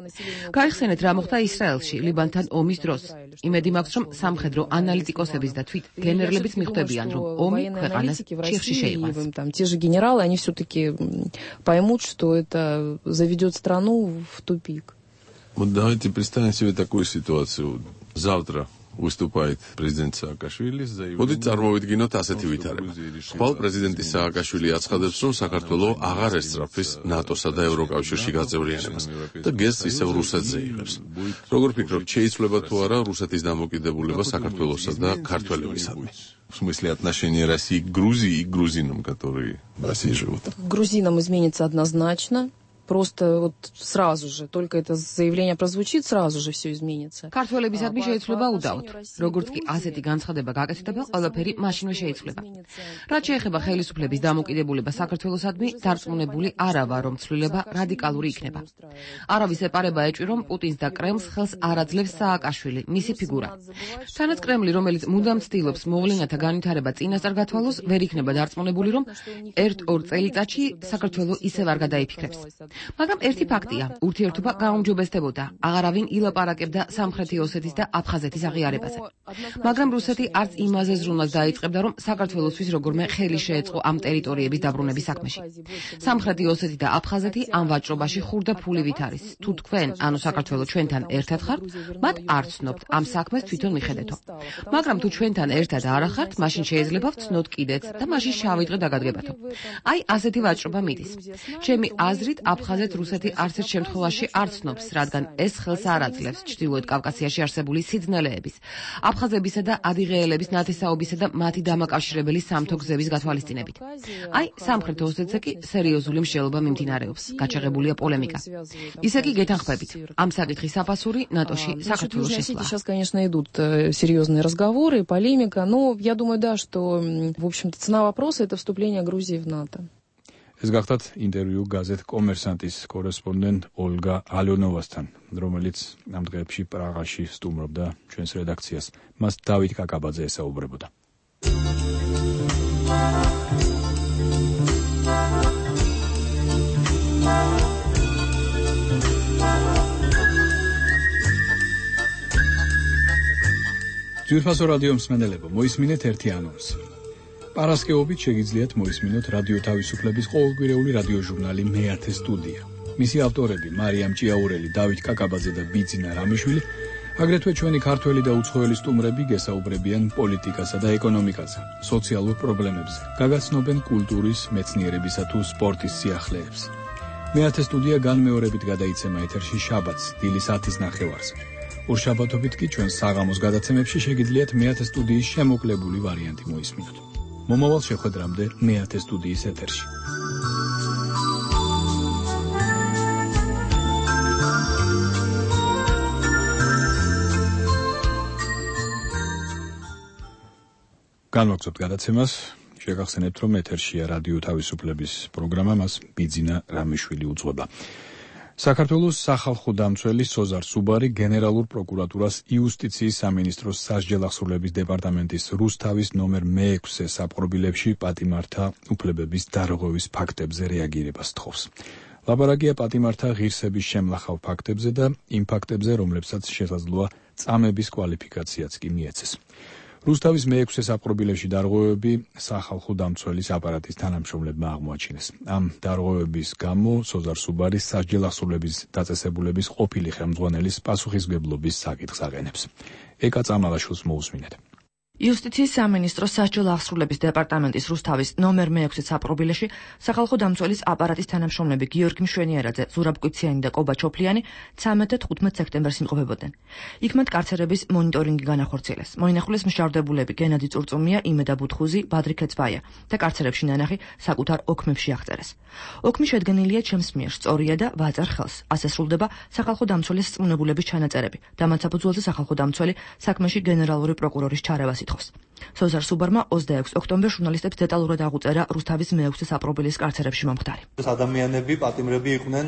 გაიხსენეთ, რა მოხდა ისრაელში ლიბანთან ომის დროს. იმედი მაქვს, რომ სამხედრო ანალიტიკოსების და თვით გენერლების მიხვდებიან, რომ ომი ქვეყანას ჩიხში შეიყვანს. Там те же генералы, они все-таки поймут, что это заведет страну в тупик. Вот давайте представим себе такую ситуацию. Завтра выступает президент Саакашвили с заявлением. მოდით წარმოვიდგინოთ ასეთი ვითარება. ხვალ პრეზიდენტი სააკაშვილი აცხადებს, რომ საქართველოს აღარ ესწრაფვის ნატოსა და ევროკავშირში გაწევრიანებას და გესტს ისევ რუსეთზე იღებს. როგორ ფიქრობთ, შეიძლება თუ არა რუსეთის დამოკიდებულება საქართველოსა და ქართველებისადმი? В смысле отношения России к Грузии и к грузинам, которые в России живут? К грузинам изменится однозначно. Просто вот сразу же, только это заявление прозвучит, сразу же все изменится. ქართველებისადმი შეიცვლება უდავოდ. როგორც კი ასეთი განცხადება გაკეთდება, ყველაფერი მაშინვე შეიცვლება. რაც შეეხება ხელისუფლების დამოკიდებულება საქართველოსადმი, დარწმუნებული არა ვარ, რომ ცვლილება რადიკალური იქნება. არავის ეპარება ეჭვი, რომ პუტინს და კრემლს ხელს არ აძლევს სააკაშვილი, მისი ფიგურა. თანაც კრემლი, რომელიც მუდამ ცდილობს მოვლენათა განვითარება წინასწარ გათვალოს, ვერ იქნება დარწმუნებული, რომ 1-2 წელიწადში საქართველოს ისევ არ გადაიფიქრებს. მაგრამ ერთი ფაქტია, ურთიერთობა გაუმჯობესდებოდა. აღარავინ ილაპარაკებდა სამხრეთი ოსეთის და აფხაზეთის აღიარებაზე. მაგრამ რუსეთი არც იმაზე ზრუნვას დაიწყებდა, რომ საქართველოსთვის როგორმე ხელი შეეწყო ამ ტერიტორიების დაბრუნების საქმეში. სამხრეთი ოსეთი და აფხაზეთი ამ ვაჭრობაში ხურდა ფულივით არის. თუ თქვენ, ანუ საქართველოს ჩვენთან ერთად ხართ, მათ არ ცნობთ ამ საქმეს თვითონ მიხედეთო. მაგრამ თუ ჩვენთან ერთად არ ახართ, მაშინ შეიძლება ვცნოთ კიდეც და მაშინ შავი დღე დაგადგებათო. აი ასეთი ვაჭრობა მიდის. ჩემი აზრით აფხაზეთ რუსეთი არც ერთ შემთხვევაში არ ცნობს, რადგან ეს ხელს არ აძლევს ჩრდილოეთ კავკასიაში არსებული სიძნელეების, აფხაზებისა და ადიღეელების ნათესაობისა და მათი დამაკავშირებელი სამთო გზების გათვალისწინებით. აი სამხრეთ ოსეთზე კი სერიოზული მსჯელობა მიმდინარეობს, გაჩაღებულია პოლემიკა. ისე კი გეთანხმებით, ამ საკითხის საფასური ნატოში საქართველოს შესვლა. Сейчас, конечно, идут серьезные разговоры, полемика, но я думаю, да, что, в общем-то, цена вопроса — это вступление Грузии в НАТО. ეს გახდათ ინტერვიუ გაზეთ კომერსანტის კორესპონდენტ ოლგა ალიონოვასთან, რომელიც ამ დღეებში პრაღაში სტუმრობდა ჩვენს რედაქციას. მას დავით კაკაბაძე ესაუბრებოდა. ძვირფასო რადიო მსმენელებო, მოისმინეთ ერთი ანონსი. პარასკევობით შეგიძლიათ მოისმინოთ რადიო თავისუფლების ყოველკვირეული რადიოჟურნალი მეათე სტუდია. მისი ავტორები მარიამ ჭიაურელი, დავით კაკაბაძე და ბიძინა რამიშვილი, აგრეთვე ჩვენი ქართველი და უცხოელი სტუმრები გესაუბრებიან პოლიტიკასა და ეკონომიკაზე, სოციალურ პრობლემებზე, გაგაცნობენ კულტურის, მეცნიერებისა თუ სპორტის სიახლეებს. მეათე სტუდია განმეორებით გადაიცემა ეთერში შაბათს, დილის 10:30-ზე. ორშაბათობით კი ჩვენ საღამოს გადაცემებში შეგიძლიათ მეათე სტუდიის შემოკლებული ვარიანტი მოისმინოთ. მომავალ შეხვედრამდე მეათე სტუდიის ეთერში. განვაგრძობთ გადაცემას. შეგახსენებთ, რომ ეთერშია რადიო თავისუფლების პროგრამა, მას ბიძინა რამიშვილი უძღვება. საქართველოს სახალხო დამცველი სოზარ სუბარი გენერალურ პროკურატურას იუსტიციის სამინისტროს სასჯელახსრულების დეპარტამენტის რუსთავის ნომერ მე-6 საპყრობილებში პატიმართა უფლებების დარღვევის ფაქტებზე რეაგირებას თხოვს. ლაბორაგია პატიმართა ღირსების შემლახავ ფაქტებზე და იმ ფაქტებზე, რომლებსაც შესაძლოა წამების კვალიფიკაციაც კი მიეცეს. რუსთავის მე-6 საპყრობილებში დარღვევები სახალხო დამცველის აპარატის თანამშრომლებმა აღმოაჩინეს. ამ დარღვევების გამო სოზარ სუბარის სასჯელახსრულების დაწესებულების ყოფილი ხელმძღვანელის პასუხისმგებლობის საკითხს აყენებს. ეკა წამალაშვილს მოусმინეთ. იუსტიციის სამინისტროს სასჯელახსრულების დეპარტამენტის რუსთავის ნომერ მე-6 საპყრობილეში სახალხო დამცველის აპარატის თანამშრომლები გიორგი მშვენიერაძე, ზურაბ კვიციანი და კობა ჩოფლიანი 13 და 15 სექტემბერს იმყოფებოდნენ. იქ მათ კარცერების მონიტორინგი განახორციელეს. მოინახულეს მშავდებულები გენადი წურწუმია, იმედა ბუთხუზი, ბადრი ქეცბაია და კარცერებში ნანახი საკუთარ ოქმებში აღწერეს. ოქმი შედგენილია ჩემს მიერ სწორია და ვაწარ ხელს. ასე სრულდება სახალხო დამცველის სწმუნებულების ჩანაწერები და მათ საფუძველზე სახალხო დამცველი საქმეში გენერალური პროკურორის ჩარევას ითხოვს. სოზარ სუბარმა 26 ოქტომბერს ჟურნალისტებს დეტალურად აღუწერა რუსთავის მე-6 საპყრობილის კარცერებში მომხდარი. ადამიანები, პატიმრები იყვნენ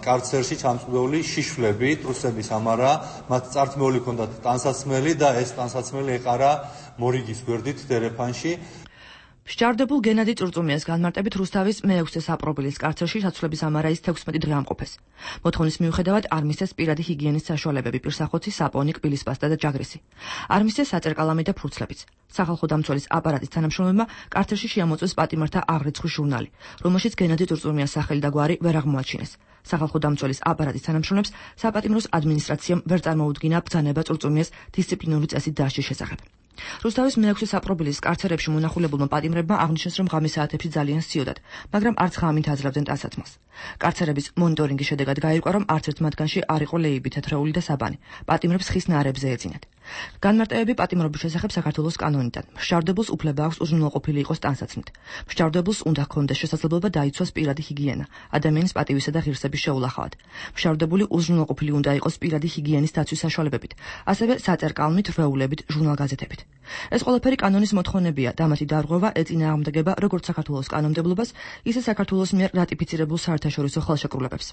კარცერში ჩამწვდეული შიშვლებით, რუსების ამარა, მათ წართმეული ჰქონდათ ტანსაცმელი და ეს ტანსაცმელი ეყარა მორიგის გვერდით დერეფანში. მსჯავრდებულ გენადი წურწუმიას განმარტებით რუსთავის მე-6 საპყრობილის კარცერში საცვლების ამარა ის 16 დღე ამყოფეს. მოთხოვნის მიუხედავად არ მისცეს პირადი ჰიგიენის საშუალებები, პირსახოცი, საპონი, კბილის პასტა და ჯაგრისი. არ მისცეს საწერკალამი და ფურცლებიც. სახალხო დამცველის აპარატის თანამშრომლებმა კარცერში შეამოწმეს პატიმართა აღრიცხვის ჟურნალი, რომელშიც გენადი წურწუმიას სახელი და გვარი ვერ აღმოაჩინეს. სახალხო დამცველის აპარატის თანამშრომლებს საპატიმროს ადმინისტრაციამ ვერ წარმოუდგინა ბრძანება წურწუმიას დისციპლინური წესით დასჯის შესახებ. რუსთავის მე-6 საპყრობილის კარცერებში მონახულებულმა პატიმრებმა აღნიშნეს, რომ ღამის საათებში ძალიან სიოდათ, მაგრამ არც ღამით აძლევდნენ ტანსაცმელს. კარცერების მონიტორინგის შედეგად გაირკვა, რომ არც ერთ მათგანში არ იყო ლეიბი, თეთრეული და საბანი. პატიმრებს ხის ნარებზე ეძინათ. განმარტებები პატიმრობის შესახებ საქართველოს კანონიდან. მსჯავრდებულს უფლება აქვს უზრუნველყოფილი იყოს ტანსაცმლით. მსჯავრდებულს უნდა ჰქონდეს შესაძლებლობა დაიცვას პირადი ჰიგიენა, ადამიანის პატივისა და ღირსების შეულახავად. მსჯავრდებული უზრუნველყოფილი უნდა იყოს პირადი ჰიგიენის დაცვის საშუალებებით, ასევე საწერკალმით, რვეულებით, ჟურნალ-გაზეთებით. ეს ყველაფერი კანონის მოთხოვნებია და მათი დარღვევა ეწინააღმდეგება როგორც საქართველოს კანონმდებლობას, ისე საქართველოს მიერ რატიფიცირებულ საერთაშორისო ხელშეკრულებებს.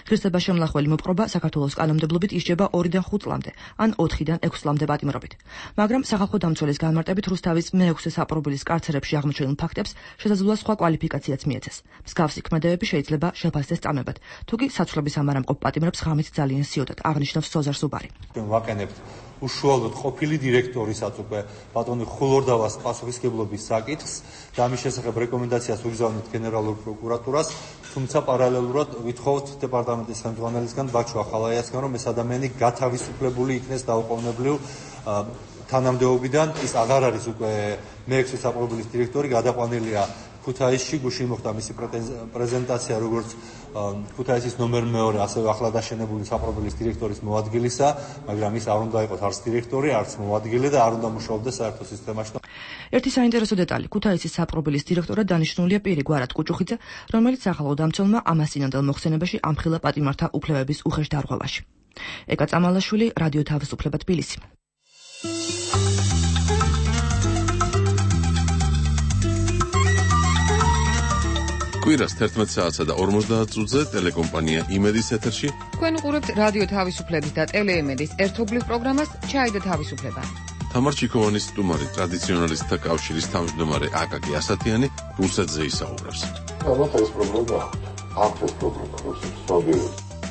ღირსება შემლახველი მოპყრობა საქართველოს კანონმდებლობით ისჯება 2-დან 5 წლამდე, ან 4-დან 6 წლამდე პატიმრობით. მაგრამ სახალხო დამცველის განმარტებით რუსთავის მე-6 საპყრობილის კარცერებში აღმოჩენილ ფაქტებს შესაძლოა სხვა კვალიფიკაციაც მიეცეს. მსგავსი ქმედებები შეიძლება შეფასდეს წამებად, თუ კი საცვლების ამარა მყოფ პატიმრებს ღამით ძალიან სიოდათ, აღნიშნავს სოზარ სუბარი. ვაკენებთ უშუალოდ ყოფილი დირექტორისაც უკვე ბატონი ხულორდავას პასუხისმგებლობის საკითხს და ამის შესახებ რეკომენდაციას უგზავნით გენერალურ პროკურატურას, თუმცა პარალელურად ვითხოვთ დეპარტამენტის ხელმძღვანელისგან ბაჩო ახალაიასგან, რომ ეს ადამიანი გათავისუფლებული იქნეს დაუყოვნებლივ თანამდებობიდან. ის აღარ არის უკვე მე-6 საპყრობილის დირექტორი, გადაყვანილია ქუთაისში, გუშინ მოხდა მისი პრეზენტაცია როგორც ქუთაისის ნომერ მე-2, ასევე ახლა დაშენებული საპყრობილის დირექტორის მოადგილისა, მაგრამ ის არ უნდა იყოს არც დირექტორი, არც მოადგილე და არ უნდა მუშაობდეს საერთო სისტემაში. ერთი საინტერესო დეტალი, ქუთაისის საპყრობილის დირექტორად დანიშნულია პირი გვარად კუჭუხიძე, რომელიც სახალხო დამცველმა ამას წინანდელ მოხსენებაში ამხილა პატიმართა უფლებების უხეშ დარღვევაში. ეკა წამალაშვილი, რადიო თავისუფლება, თბილისი. კვირას 11 საათსა და 50 წუთზე ტელეკომპანია იმედის ეთერში თქვენ უყურებთ რადიო თავისუფლების და ტელეიმედის ერთობლივ პროგრამას ჩაი და თავისუფლება. თამარ ჩიქოვანის სტუმარი ტრადიციონალისტთა კავშირის თავმჯდომარე აკაკი ასათიანი რუსეთზე ისაუბრებს.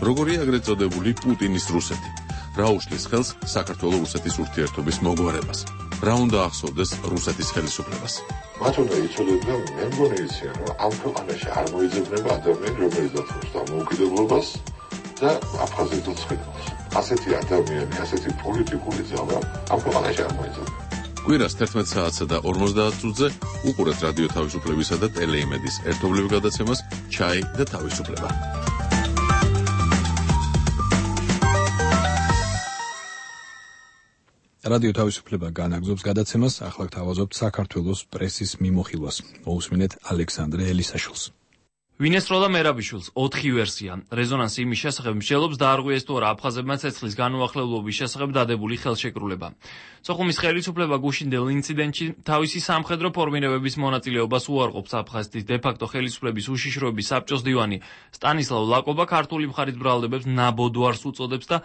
როგორია აგრეთ წოდებული პუტინის რუსეთი? რა უშლის ხელს საქართველოს-რუსეთის ურთიერთობის მოგვარებას? რა უნდა ახსოვდეს რუსეთის ხელისუფლებას? მათ უნდა იცოდნენ, მე მგონი იციან, რომ ამ ქვეყანაში არ მოიძებნება ადამიანი, რომელიც დათმობს დამოუკიდებლობას და აფხაზეთს უცხენებს. ასეთი ადამიანი, ასეთი პოლიტიკური ძალა ამ ქვეყანაში არ მოიძებნება. კვირას 11 საათსა და 50 წუთზე უყურეთ რადიო თავისუფლებისა და ტელეიმედის ერთობლივ გადაცემას ჩაი და თავისუფლება. რადიო თავისუფლება განაგზობს გადაცემას, ახლა გთავაზობთ საქართველოს პრესის მიმოხილვას. მოусმინეთ ალექსანდრე ელისაშვილს. ვინ ესწროდა მერაბიშვილს? 4 ვერსია. რეზონანსი იმის შესახებ მსჯელობს დაარღვიეს თუ არა აფხაზებმა ცეცხლის განუახლებლობის შესახებ დადებული ხელშეკრულება. სოხუმის ხელისუფლება გუშინდელ ინციდენტში თავისი სამხედრო ფორმირებების მონაწილეობას უარყოფს. აფხაზეთის დე-ფაქტო ხელისუფლების უშიშროების საბჭოს დივანი სტანისლავ ლაკობა ქართული მხარის ბრალდებებს ნაბოდვარს უწოდებს და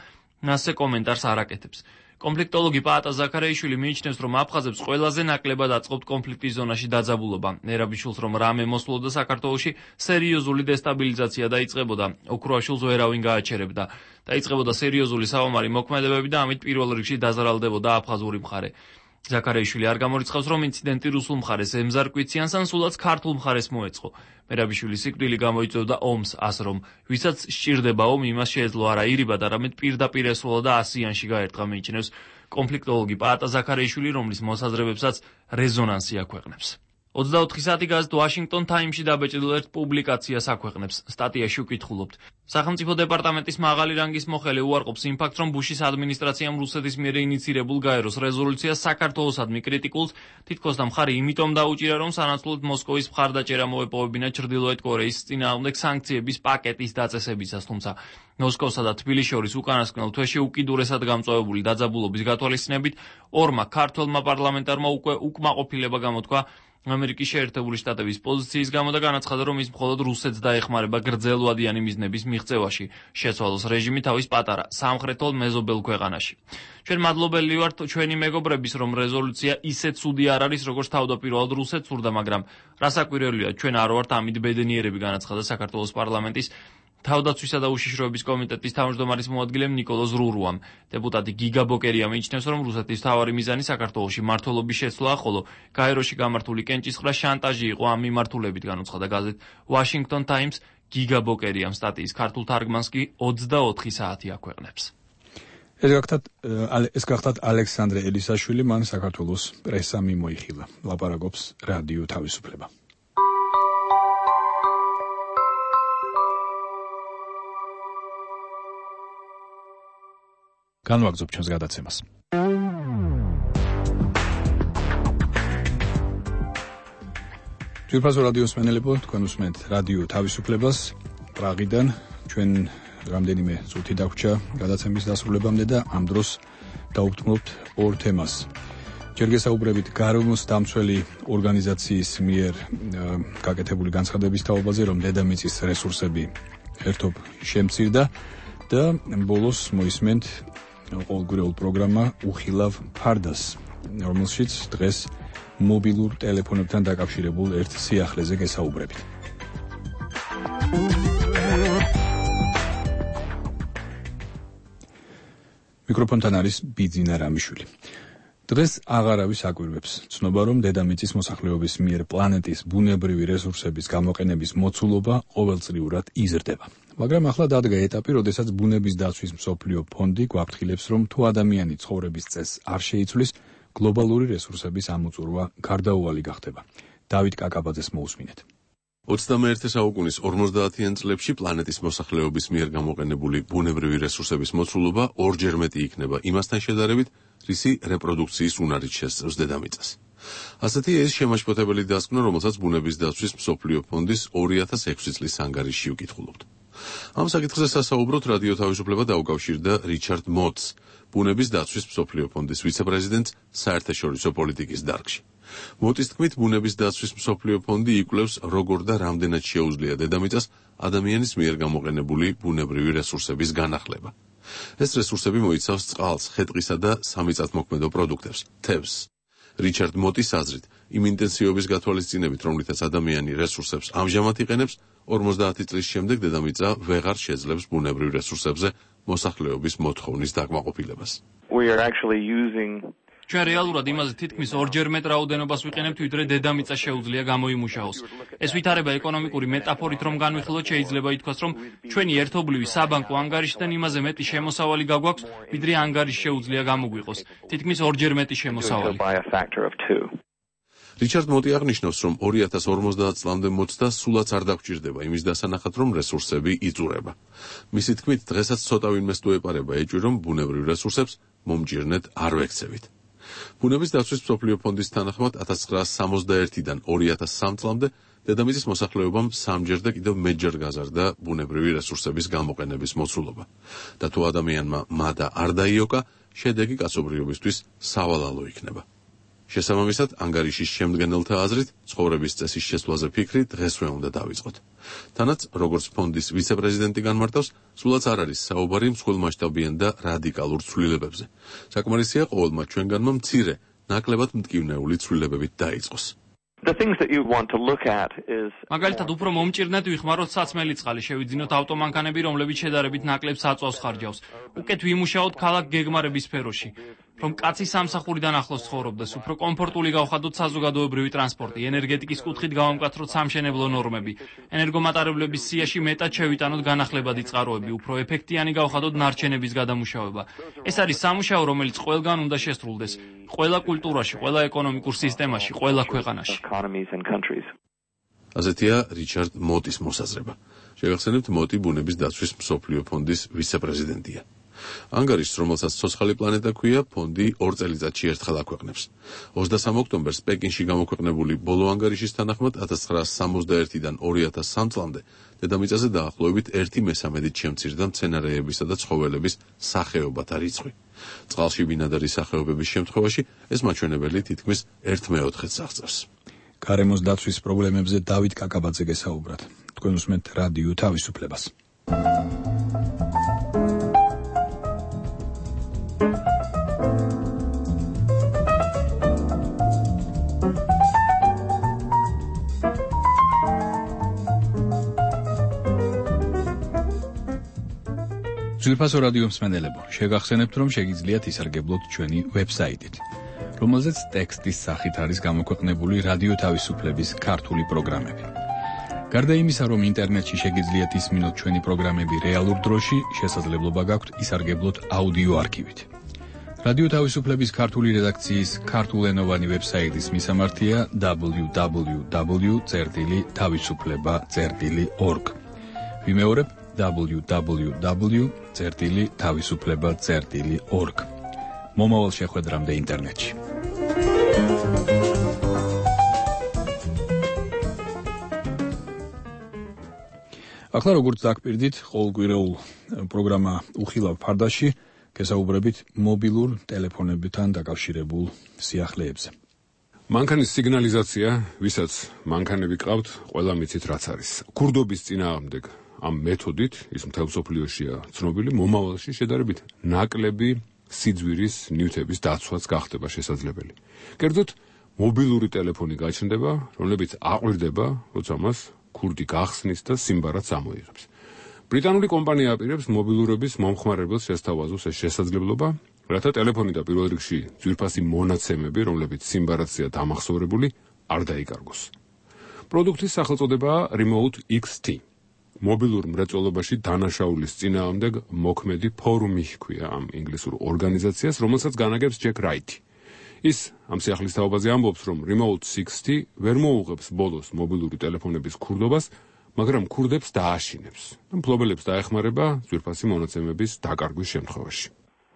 ასე კომენტარს არ აკეთებს. კონფლიქტოლოგი პაატა ზაქარეიშვილი მიიჩნევს, რომ აფხაზებს ყველაზე ნაკლებად აწყობთ კონფლიქტის ზონაში დაძაბულობა. მერაბიშვილს რომ რამე მოსულოდა საქართველოში, სერიოზული დესტაბილიზაცია დაიწყებოდა. ოქროაშვილს ვერავინ გააჩერებდა. დაიწყებოდა სერიოზული საომარი მოქმედებები და ამით პირველ რიგში დაზარალდებოდა აფხაზური მხარე. ზაქარეიშვილი არ გამორიცხავს, რომ ინციდენტი რუსულ მხარეს ემზარკვიციანს ან სულაც ქართულ მხარეს მოეწყო. მერაბიშვილი სიკვდილი გამოიწვევდა ომს, ასე რომ ვისაც სჭირდება ომი, იმას შეეძლო არა ირიბად, არამედ პირდაპირ ესროლა და ასიანში გაერტყა, მიიჩნევს კონფლიქტოლოგი პაატა ზაქარეიშვილი, რომლის მოსაზრებებსაც რეზონანსი აქვეყნებს. 24 საათი გაზეთ ვაშინგტონ ტაიმსში დაბეჭდილ ერთ პუბლიკაციას აქვეყნებს. სტატიაში უკითხულობთ. სახელმწიფო დეპარტამენტის მაღალი რანგის მოხელე უარყოფს იმ ფაქტს, რომ ბუშის ადმინისტრაციამ რუსეთის მიერ ინიცირებულ გაეროს რეზოლუციას საქართველოსადმი კრიტიკულს თითქოს და მხარი იმიტომ დაუჭირა, რომ სანაცვლოდ მოსკოვის მხარდაჭერა მოეპოვებინა ჩრდილოეთ კორეის წინააღმდეგ სანქციების პაკეტის დაწესებისას, თუმცა მოსკოვსა და თბილისის შორის უკანასკნელ თვეში უკიდურესად გამწვავებული დაძაბულობის გათვალისწინებით ორმა ქართველმა პარლამენტარმა უკვე უკმაყოფილება გამოთქვა ამერიკის შეერთებული შტატების პოზიციის გამო და განაცხადა, რომ ის მხოლოდ რუსეთს დაეხმარება გრძელვადიანი მიზნების მიღწევაში, შეცვალოს რეჟიმი თავის პატარა სამხრეთულ მეზობელ ქვეყანაში. ჩვენ მადლობელი ვართ ჩვენი მეგობრების, რომ რეზოლუცია ისეთ ცუდი არ არის, როგორც თავდაპირველად რუსეთს სურდა, მაგრამ რასაკვირველია, ჩვენ არ ვართ ამით ბედნიერები, განაცხადა საქართველოს პარლამენტის თავდაცვისა და უშიშროების კომიტეტის თავმჯდომარის მოადგილემ ნიკოლოზ რურუამ. დეპუტატი გიგა ბოკერია მიიჩნევს, რომ რუსეთის მთავარი მიზანი საქართველოში მმართველობის შეცვლაა, ხოლო გაეროში გამართული კენჭისყრა შანტაჟი იყო ამ მიმართულებით, განუცხადა გაზეთ ვაშინგტონ ტაიმს. გიგა ბოკერიამ სტატიის ქართულ თარგმანს კი 24 საათი აქვეყნებს. ეს გახდათ ალექსანდრე ელისაშვილი, მან საქართველოს პრესა მიმოიხილა. ლაპარაკობს რადიო თავისუფლება. განვაგრძობ ჩვენს გადაცემას. ძვირფასო რადიოს მსმენელებო, თქვენ უსმენთ რადიო თავისუფლებას პრაღიდან. ჩვენ რამდენიმე წუთი დაგვრჩა გადაცემის დასრულებამდე და ამ დროს დავუბრუნებთ ორ თემას. ჯერ გესაუბრებით გარემოს დამცველი ორგანიზაციის მიერ გაკეთებული განცხადების თაობაზე, რომ დედამიწის რესურსები ერთობ შემცირდა და ბოლოს მოისმენთ ყოველგვარულ პროგრამა უხილავ ფარდას, რომელშიც დღეს მობილურ ტელეფონებთან დაკავშირებულ ერთ სიახლეზე გესაუბრებით. მიკროფონთან არის ბიძინა რამიშვილი. დღეს აღარავის აკვირვებს ცნობა, რომ დედამიწის მოსახლეობის მიერ პლანეტის ბუნებრივი რესურსების გამოყენების მოცულობა ყოველწლიურად იზრდება. მაგრამ ახლა დადგა ეტაპი, როდესაც ბუნების დაცვის მსოფლიო ფონდი გვაფრთხილებს, რომ თუ ადამიანი ცხოვრების წესს არ შეიცვლის, გლობალური რესურსების ამოწურვა გარდაუვალი გახდება. დავით კაკაბაძეს მოусმინეთ. 21 საუკუნის 50-იან წლებში პლანეტის მოსახლეობის მიერ გამოყენებული ბუნებრივი რესურსების მოცულობა ორჯერ მეტი იქნება იმასთან შედარებით, რისი რეპროდუქციის უნარით შესწევს დედამიწას. ასეთია ეს შემაშფოთებელი დასკვნა, რომელსაც ბუნების დაცვის მსოფლიო ფონდის 2006 წლის ანგარიშში ვკითხულობთ. ამ საკითხზე სასაუბროთ რადიო თავისუფლება დაუკავშირდა რიჩარდ მოტს, ბუნების დაცვის მსოფლიო ფონდის ვიცე-პრეზიდენტს საერთაშორისო პოლიტიკის დარგში. მოტის თქმით, ბუნების დაცვის მსოფლიო ფონდი იკვლევს, როგორ და რამდენად შეუძლია დედამიწას ადამიანის მიერ გამოყენებული ბუნებრივი რესურსების განახლება. ეს რესურსები მოიცავს წყალს, ხე-ტყისა და სამიწათმოქმედო პროდუქტებს, თევზს. რიჩარდ მოტის აზრით, იმ ინტენსივობის გათვალისწინებით, რომლითაც ადამიანი რესურსებს ამჟამად იყენებს, 50 წლის შემდეგ დედამიწა ვეღარ შეძლებს ბუნებრივ რესურსებზე მოსახლეობის მოთხოვნის დაკმაყოფილებას. ჩვენ რეალურად იმაზე თითქმის ორჯერ მეტ რაოდენობას ვიყენებთ, ვიდრე დედამიწა შეუძლია გამოიმუშაოს. ეს ვითარება ეკონომიკური მეტაფორით რომ განვიხილოთ, შეიძლება ითქვას, რომ ჩვენი ერთობლივი საბანკო ანგარიშიდან იმაზე მეტი შემოსავალი გაგვაქვს, ვიდრე ანგარიში შეუძლია გამოგვიყოს. თითქმის ორჯერ მეტი შემოსავალი. რიჩარდ მოტი აღნიშნავს, რომ 2050 წლამდე მოცდა სულაც არ დაგჭირდება იმის დასანახად, რომ რესურსები იწურება. მისი თქმით, დღესაც ცოტა ვინმეს თუ ეპარება ეჭვი, რომ ბუნებრივ რესურსებს მომჭირნეთ არ ვექცევით. ბუნების დაცვის მსოფლიო ფონდის თანახმად 1961-დან 2003 წლამდე დედამიწის მოსახლეობამ 3-ჯერ და კიდევ მეტჯერ გაზარდა ბუნებრივი რესურსების გამოყენების მოცულობა. და თუ ადამიანმა მადა არ დაიოკა, შედეგი კაცობრიობისთვის სავალალო იქნება. შესაბამისად, ანგარიშის შემდგენელთა აზრით, ცხოვრების წესის შესვლაზე ფიქრი დღესვე უნდა დავიწყოთ. თანაც, როგორც ფონდის ვიცე-პრეზიდენტი განმარტავს, სულაც არ არის საუბარი მსხვილმასშტაბიან და რადიკალურ ცვლილებებზე. საკმარისია ყოველმა ჩვენგანმა მცირე, ნაკლებად მტკივნეული ცვლილებებით დაიწყოს. მაგალითად, უფრო მომჭირნეთ ვიხმაროთ საცმელი წყალი, შევიძინოთ ავტომანქანები, რომლებიც შედარებით ნაკლებ საწვავს ხარჯავს. უკეთ ვიმუშაოთ ქალაქ გეგმარების სფეროში. რომ კაცი სამსახურიდან ახლოს ცხოვრობდეს, უფრო კომფორტული გავხადოთ საზოგადოებრივი ტრანსპორტი, ენერგეტიკის კუთხით გავამკაცროთ სამშენებლო ნორმები, ენერგომატარებლების სიაში მეტად შევიტანოთ განახლებადი წყაროები, უფრო ეფექტიანი გავხადოთ ნარჩენების გადამუშავება. ეს არის სამუშაო, რომელიც ყველგან უნდა შესრულდეს, ყველა კულტურაში, ყველა ეკონომიკურ სისტემაში, ყველა ქვეყანაში. ასეთია რიჩარდ მოტის მოსაზრება. შევახსენებთ, მოტი ბუნების დაცვის მსოფლიო ფონდის ვიცე-პრეზიდენტია. ანგარიშს, რომელსაც ცოცხალი პლანეტა ქვია, ფონდი 2 წელიწადში ერთხელ აქვეყნებს. 23 ოქტომბერს პეკინში გამოქვეყნებული ბოლო ანგარიშის თანახმად 1961-დან 2003 წლამდე დედამიწაზე დაახლოებით 1/13-ით შემცირდა მცენარეებისა და ცხოველების სახეობათა რიცხვი. წყალში ბინადარი სახეობების შემთხვევაში ეს მაჩვენებელი თითქმის 1/4-ს აღწევს. გარემოს დაცვის პრობლემებზე დავით კაკაბაძე გესაუბრათ. თქვენ უსმენთ რადიო თავისუფლებას. ძვირფასო რადიო მსმენელებო, შეგახსენებთ, რომ შეგიძლიათ ისარგებლოთ ჩვენი ვებსაიტით, რომელზეც ტექსტის სახით არის გამოქვეყნებული რადიო თავისუფლების ქართული პროგრამები. გარდა იმისა, რომ ინტერნეტში შეგიძლიათ ისმინოთ ჩვენი პროგრამები რეალურ დროში, შესაძლებლობა გაქვთ ისარგებლოთ აუდიო არქივით. რადიო თავისუფლების ქართული რედაქციის ქართულენოვანი ვებსაიტის მისამართია www.tavisufleba.org. ვიმეორებ www.tavisufleba.org. მომავალ შეხვედრამდე ინტერნეტში. ახლა როგორც დაგპირდით, ყოველკვირეულ პროგრამა უხილავ ფარდაში გესაუბრებით მობილურ ტელეფონებთან დაკავშირებულ სიახლეებზე. მანქანის სიგნალიზაცია, ვისაც მანქანები ყავთ, ყველა მიცით რაც არის. ქურდობის წინააღმდეგ ამ მეთოდით, ის მთელ მსოფლიოშია ცნობილი, მომავალში შედარებით ნაკლები სიძვირის ნივთების დაცვაც გახდება შესაძლებელი. კერძოდ, მობილური ტელეფონი გაჩნდება, რომლებიც აყვირდება, როცა მას ქურდი გახსნის და სიმბარაც ამოიღებს. ბრიტანული კომპანია აპირებს მობილურების მომხმარებელს შესთავაზოს ეს შესაძლებლობა, რათა ტელეფონი და პირველ რიგში ძვირფასი მონაცემები, რომლებიც სიმბარაცია დამახსოვრებული, არ დაიკარგოს. პროდუქტის სახელწოდებაა Remote XT. მობილურ მრეწველობაში დანაშაულის წინააღმდეგ მოქმედი ფორუმი ჰქვია ამ ინგლისურ ორგანიზაციას, რომელსაც განაგებს ჯეკ რაითი. ის ამ სიახლის თაობაზე ამბობს, რომ Remote 60 ვერ მოუღებს ბოლოს მობილური ტელეფონების ქურდობას, მაგრამ ქურდებს დააშინებს და მფლობელებს დაეხმარება ძვირფასი მონაცემების დაკარგვის შემთხვევაში.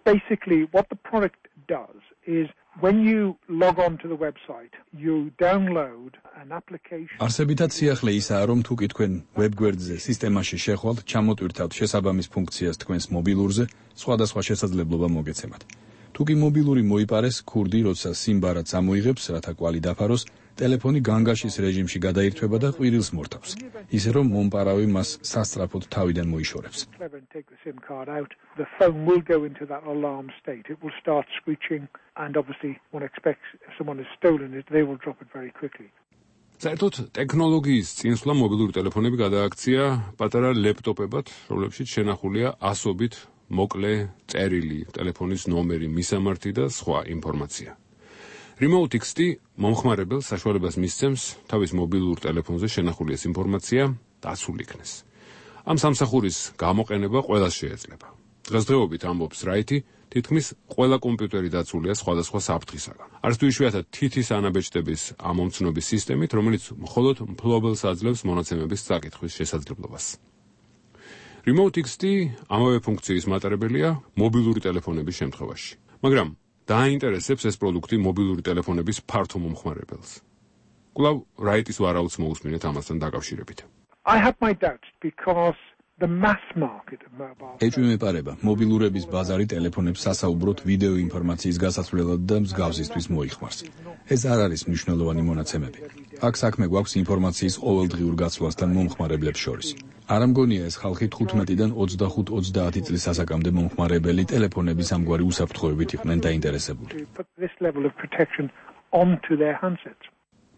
Basically, what the product does is when you log on to the website, you download an application. არსებითად სიახლე ისაა, რომ თუ კი თქვენ ვებგვერდზე სისტემაში შეხვალთ, ჩამოტვირთავთ შესაბამის ფუნქციას თქვენს მობილურზე, სხვადასხვა შესაძლებლობა მოგეცემათ. თუ თუკი მობილური მოიპარეს, ქურდი, როცა სიმბარად ამოიღებს, რათა კვალი დაფაროს, ტელეფონი განგაშის რეჟიმში გადაირთვება და ყვირილს მორთავს, ისე რომ მომპარავი მას სასწრაფოდ თავიდან მოიშორებს. The phone will go into that alarm state. It will start screeching, and obviously one expects if someone has stolen it, they will drop it very quickly. საერთოდ ტექნოლოგიის წინსვლა მობილური ტელეფონები გადააქცია პატარა ლეპტოპებად, რომლებშიც შენახულია ასობით მოკლე წერილი, ტელეფონის ნომერი, მისამართი და სხვა ინფორმაცია. Remote XT მომხმარებელს საშუალებას მისცემს თავის მობილურ ტელეფონზე შენახული ეს ინფორმაცია დაცულ იქნეს. ამ სამსახურის გამოყენება ყველას შეეძლება. დღესდღეობით ამბობს რაითი, თითქმის ყველა კომპიუტერი დაცულია სხვადასხვა საფრთხისაგან. არც თუ იშვიათად თითის ანაბეჭდების ამომცნობის სისტემით, რომელიც მხოლოდ მფლობელს აძლევს მონაცემების წაკითხვის შესაძლებლობას. Remote XT ამავე ფუნქციის მატარებელია მობილური ტელეფონების შემთხვევაში. მაგრამ დააინტერესებს ეს პროდუქტი მობილური ტელეფონების ფართო მომხმარებელს. კვლავ რაიტის ვარაუდს მოусმინეთ ამასთან დაკავშირებით. I have my doubts because the mass market of mobile. ეჭვმეპარება, მობილურების ბაზარი ტელეფონებს სასაუბროდ ვიდეო ინფორმაციის გასაცვლელად და მსგავსისთვის მოიხმარს. ეს არ არის მნიშვნელოვანი მონაცემები. აქ საქმე გვაქვს ინფორმაციის ყოველდღიურ გაცვლასთან მომხმარებლებს შორის. არ ამგონია ეს ხალხი 15-დან 25-30 წლის ასაკამდე მომხმარებელი ტელეფონების ამგვარი უსაფრთხოებით იყვნენ დაინტერესებული.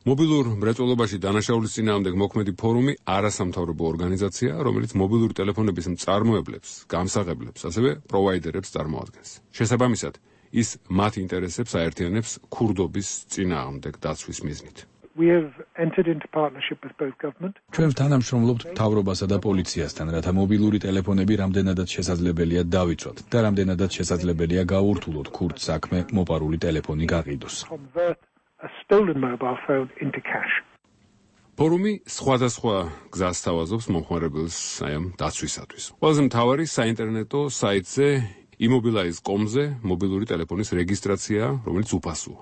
მობილურ მრეწველობაში დანაშაულის წინააღმდეგ მოქმედი ფორუმი არასამთავრობო ორგანიზაცია, რომელიც მობილური ტელეფონების მწარმოებლებს, გამსაღებლებს, ასევე პროვაიდერებს წარმოადგენს. შესაბამისად, ის მათ ინტერესებს აერთიანებს ქურდობის წინააღმდეგ დაცვის მიზნით. We have entered into partnership with both government. ჩვენ თანამშრომლობთ მთავრობასა და პოლიციასთან, რათა მობილური ტელეფონები რამდენადაც შესაძლებელია დავიცვათ და რამდენადაც შესაძლებელია გავურთულოთ ქურდ საქმე მოპარული ტელეფონი გაყიდოს. A stolen mobile phone into cash. ფორუმი სხვადასხვა გზას თავაზობს მომხმარებელს აი ამ დაცვისათვის. ყველაზე მთავარი საინტერნეტო საიტზე immobilize.com-ზე მობილური ტელეფონის რეგისტრაცია, რომელიც უფასოა.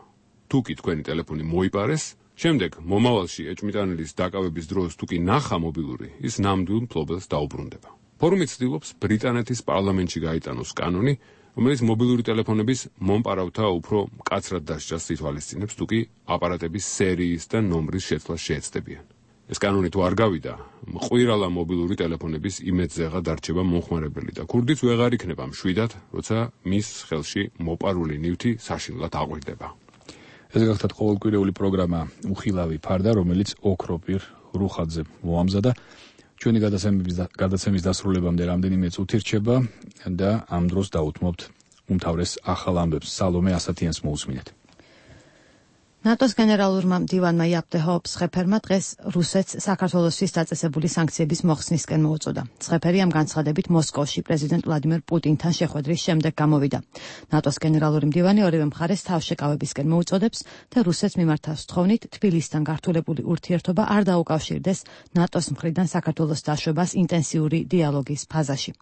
თუკი თქვენი ტელეფონი მოიპარეს, შემდეგ მომავალში ეჭვმიტანილის დაკავების დროს თუკი ნახა მობილური, ის ნამდვილ მფლობელს დაუბრუნდება. ფორუმი ცდილობს ბრიტანეთის პარლამენტში გაიტანოს კანონი, რომელიც მობილური ტელეფონების მომპარავთა უფრო მკაცრად დასჯას ითვალისწინებს, თუკი აპარატების სერიის და ნომრის შეცვლა შეეცდებიან. ეს კანონი თუ არ გავიდა, მყვირალა მობილური ტელეფონების იმედზეღა დარჩება მომხმარებელი და ქურდიც ვეღარ იქნება მშვიდად, როცა მის ხელში მოპარული ნივთი საშინლად აყვირდება. ეს გახლავთ ყოველკვირეული პროგრამა უხილავი ფარდა, რომელიც ოქროპირ რუხაძე მოამზადა. ჩვენი გადაცემის დასრულებამდე რამდენიმე წუთი რჩება და ამ დროს დაუთმობთ უმთავრეს ახალ ამბებს. სალომე ასათიანს მოусმინეთ. ნატოს გენერალურმა მდივანმა იაპ დე ჰოპს ხეფერმა დღეს რუსეთს საქართველოსთვის დაწესებული სანქციების მოხსნისკენ მოუწოდა. ხეფერი ამ განცხადებით მოსკოვში პრეზიდენტ ვლადიმერ პუტინთან შეხვედრის შემდეგ გამოვიდა. ნატოს გენერალური მდივანი ორივე მხარეს თავშეკავებისკენ მოუწოდებს და რუსეთს მიმართავს თხოვნით თბილისთან გართულებული ურთიერთობა არ დაუკავშირდეს ნატოს მხრიდან საქართველოს დაშვებას ინტენსიური დიალოგის ფაზაში.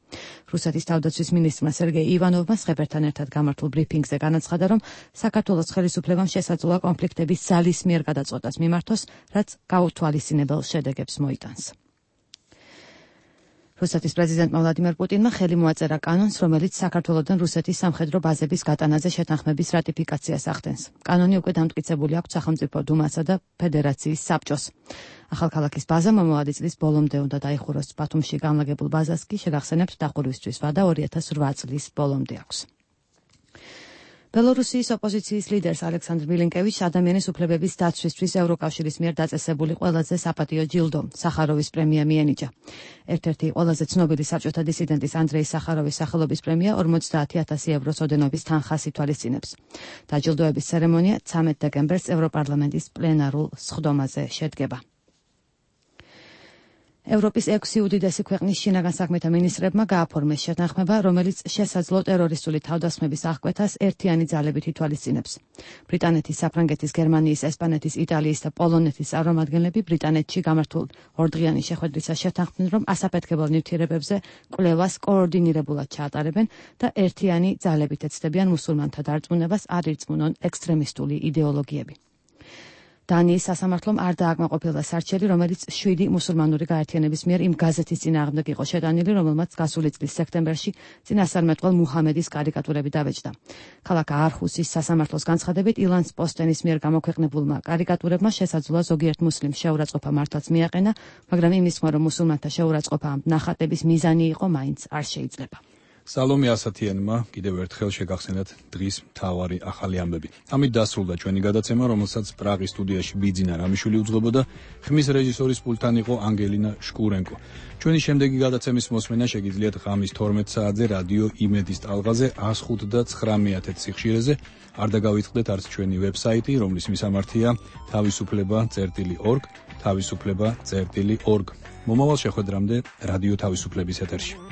რუსეთის თავდაცვის მინისტრმა სერგეი ივანოვმა ხეფერთან ერთად გამართულ ბრიფინგზე განაცხადა, რომ საქართველოს ხელისუფლებამ შესაძლოა კონფლიქტების ძალის მიერ გადაწყვეტას მიმართოს, რაც გაუთვალისწინებელ შედეგებს მოიტანს. რუსეთის პრეზიდენტმა ვლადიმერ პუტინმა ხელი მოაწერა კანონს, რომელიც საქართველოდან რუსეთის სამხედრო ბაზების გატანაზე შეთანხმების რატიფიკაციას ახდენს. კანონი უკვე დამტკიცებული აქვს სახელმწიფო დუმასა და ფედერაციის საბჭოს. ახალქალაქის ბაზა მომავალი წლის ბოლომდე უნდა დაიხუროს. ბათუმში განლაგებულ ბაზას კი შეგახსენებთ დახურვისთვის ვადა 2008 წლის ბოლომდე აქვს. ბელორუსიის ოპოზიციის ლიდერს ალექსანდრ მილინკევიჩს ადამიანის უფლებების დაცვისთვის ევროკავშირის მიერ დაწესებული ყველაზე საპატიო ჯილდო, სახაროვის პრემია მიენიჭა. ერთ-ერთი ყველაზე ცნობილი საბჭოთა დისიდენტის ანდრეი სახაროვის სახელობის პრემია 50,000 ევროს ოდენობის თანხას ითვალისწინებს. დაჯილდოების ცერემონია 13 დეკემბერს ევროპარლამენტის პლენარულ სხდომაზე შედგება. ევროპის 6 უდიდესი ქვეყნის შინაგან საქმეთა მინისტრებმა გააფორმეს შეთანხმება, რომელიც შესაძლო ტერორისტული თავდასხმების აღკვეთას ერთიანი ძალებით ითვალისწინებს. ბრიტანეთის, საფრანგეთის, გერმანიის, ესპანეთის, იტალიის და პოლონეთის წარმომადგენლები ბრიტანეთში გამართულ ორდღიანი შეხვედრისას შეთანხმდნენ, რომ ასაფეთქებელ ნივთიერებებზე კვლევას კოორდინირებულად ჩაატარებენ და ერთიანი ძალებით ეცდებიან მუსულმანთა დარწმუნებას არ ირწმუნონ ექსტრემისტული იდეოლოგიები. დანიის სასამართლომ არ დააკმაყოფილა სარჩელი, რომელიც 7 მუსულმანური გაერთიანების მიერ იმ გაზეთის წინააღმდეგ იყო შეტანილი, რომელმაც გასული წლის სექტემბერში წინასწარმეტყველ მუჰამედის კარიკატურები დავეჭდა. ქალაქ აარჰუსის სასამართლოს განცხადებით, ილანს პოსტენის მიერ გამოქვეყნებულმა კარიკატურებმა შესაძლოა ზოგიერთ მუსლიმს შეურაცხყოფა მართლაც მიაყენა, მაგრამ იმის თქმა, რომ მუსულმანთა შეურაცხყოფა ამ ნახატების მიზანი იყო, მაინც არ შეიძლება. სალომე ასათიანმა კიდევ ერთხელ შეგახსენათ დღის მთავარი ახალი ამბები. ამით დასრულდა ჩვენი გადაცემა, რომელსაც პრაღის სტუდიაში ბიძინა რამიშვილი უძღვებოდა, ხმის რეჟისორის პულტთან იყო ანგელინა შკურენკო. ჩვენი შემდეგი გადაცემის მოსმენა შეგიძლიათ ღამის 12 საათზე რადიო იმედის ტალღაზე 105.9 სიხშირეზე. არ დაგავიწყდეთ არც ჩვენი ვებსაიტი, რომლის მისამართია თავისუფლება.org, თავისუფლება.org. მომავალ შეხვედრამდე რადიო თავისუფლების ეთერში.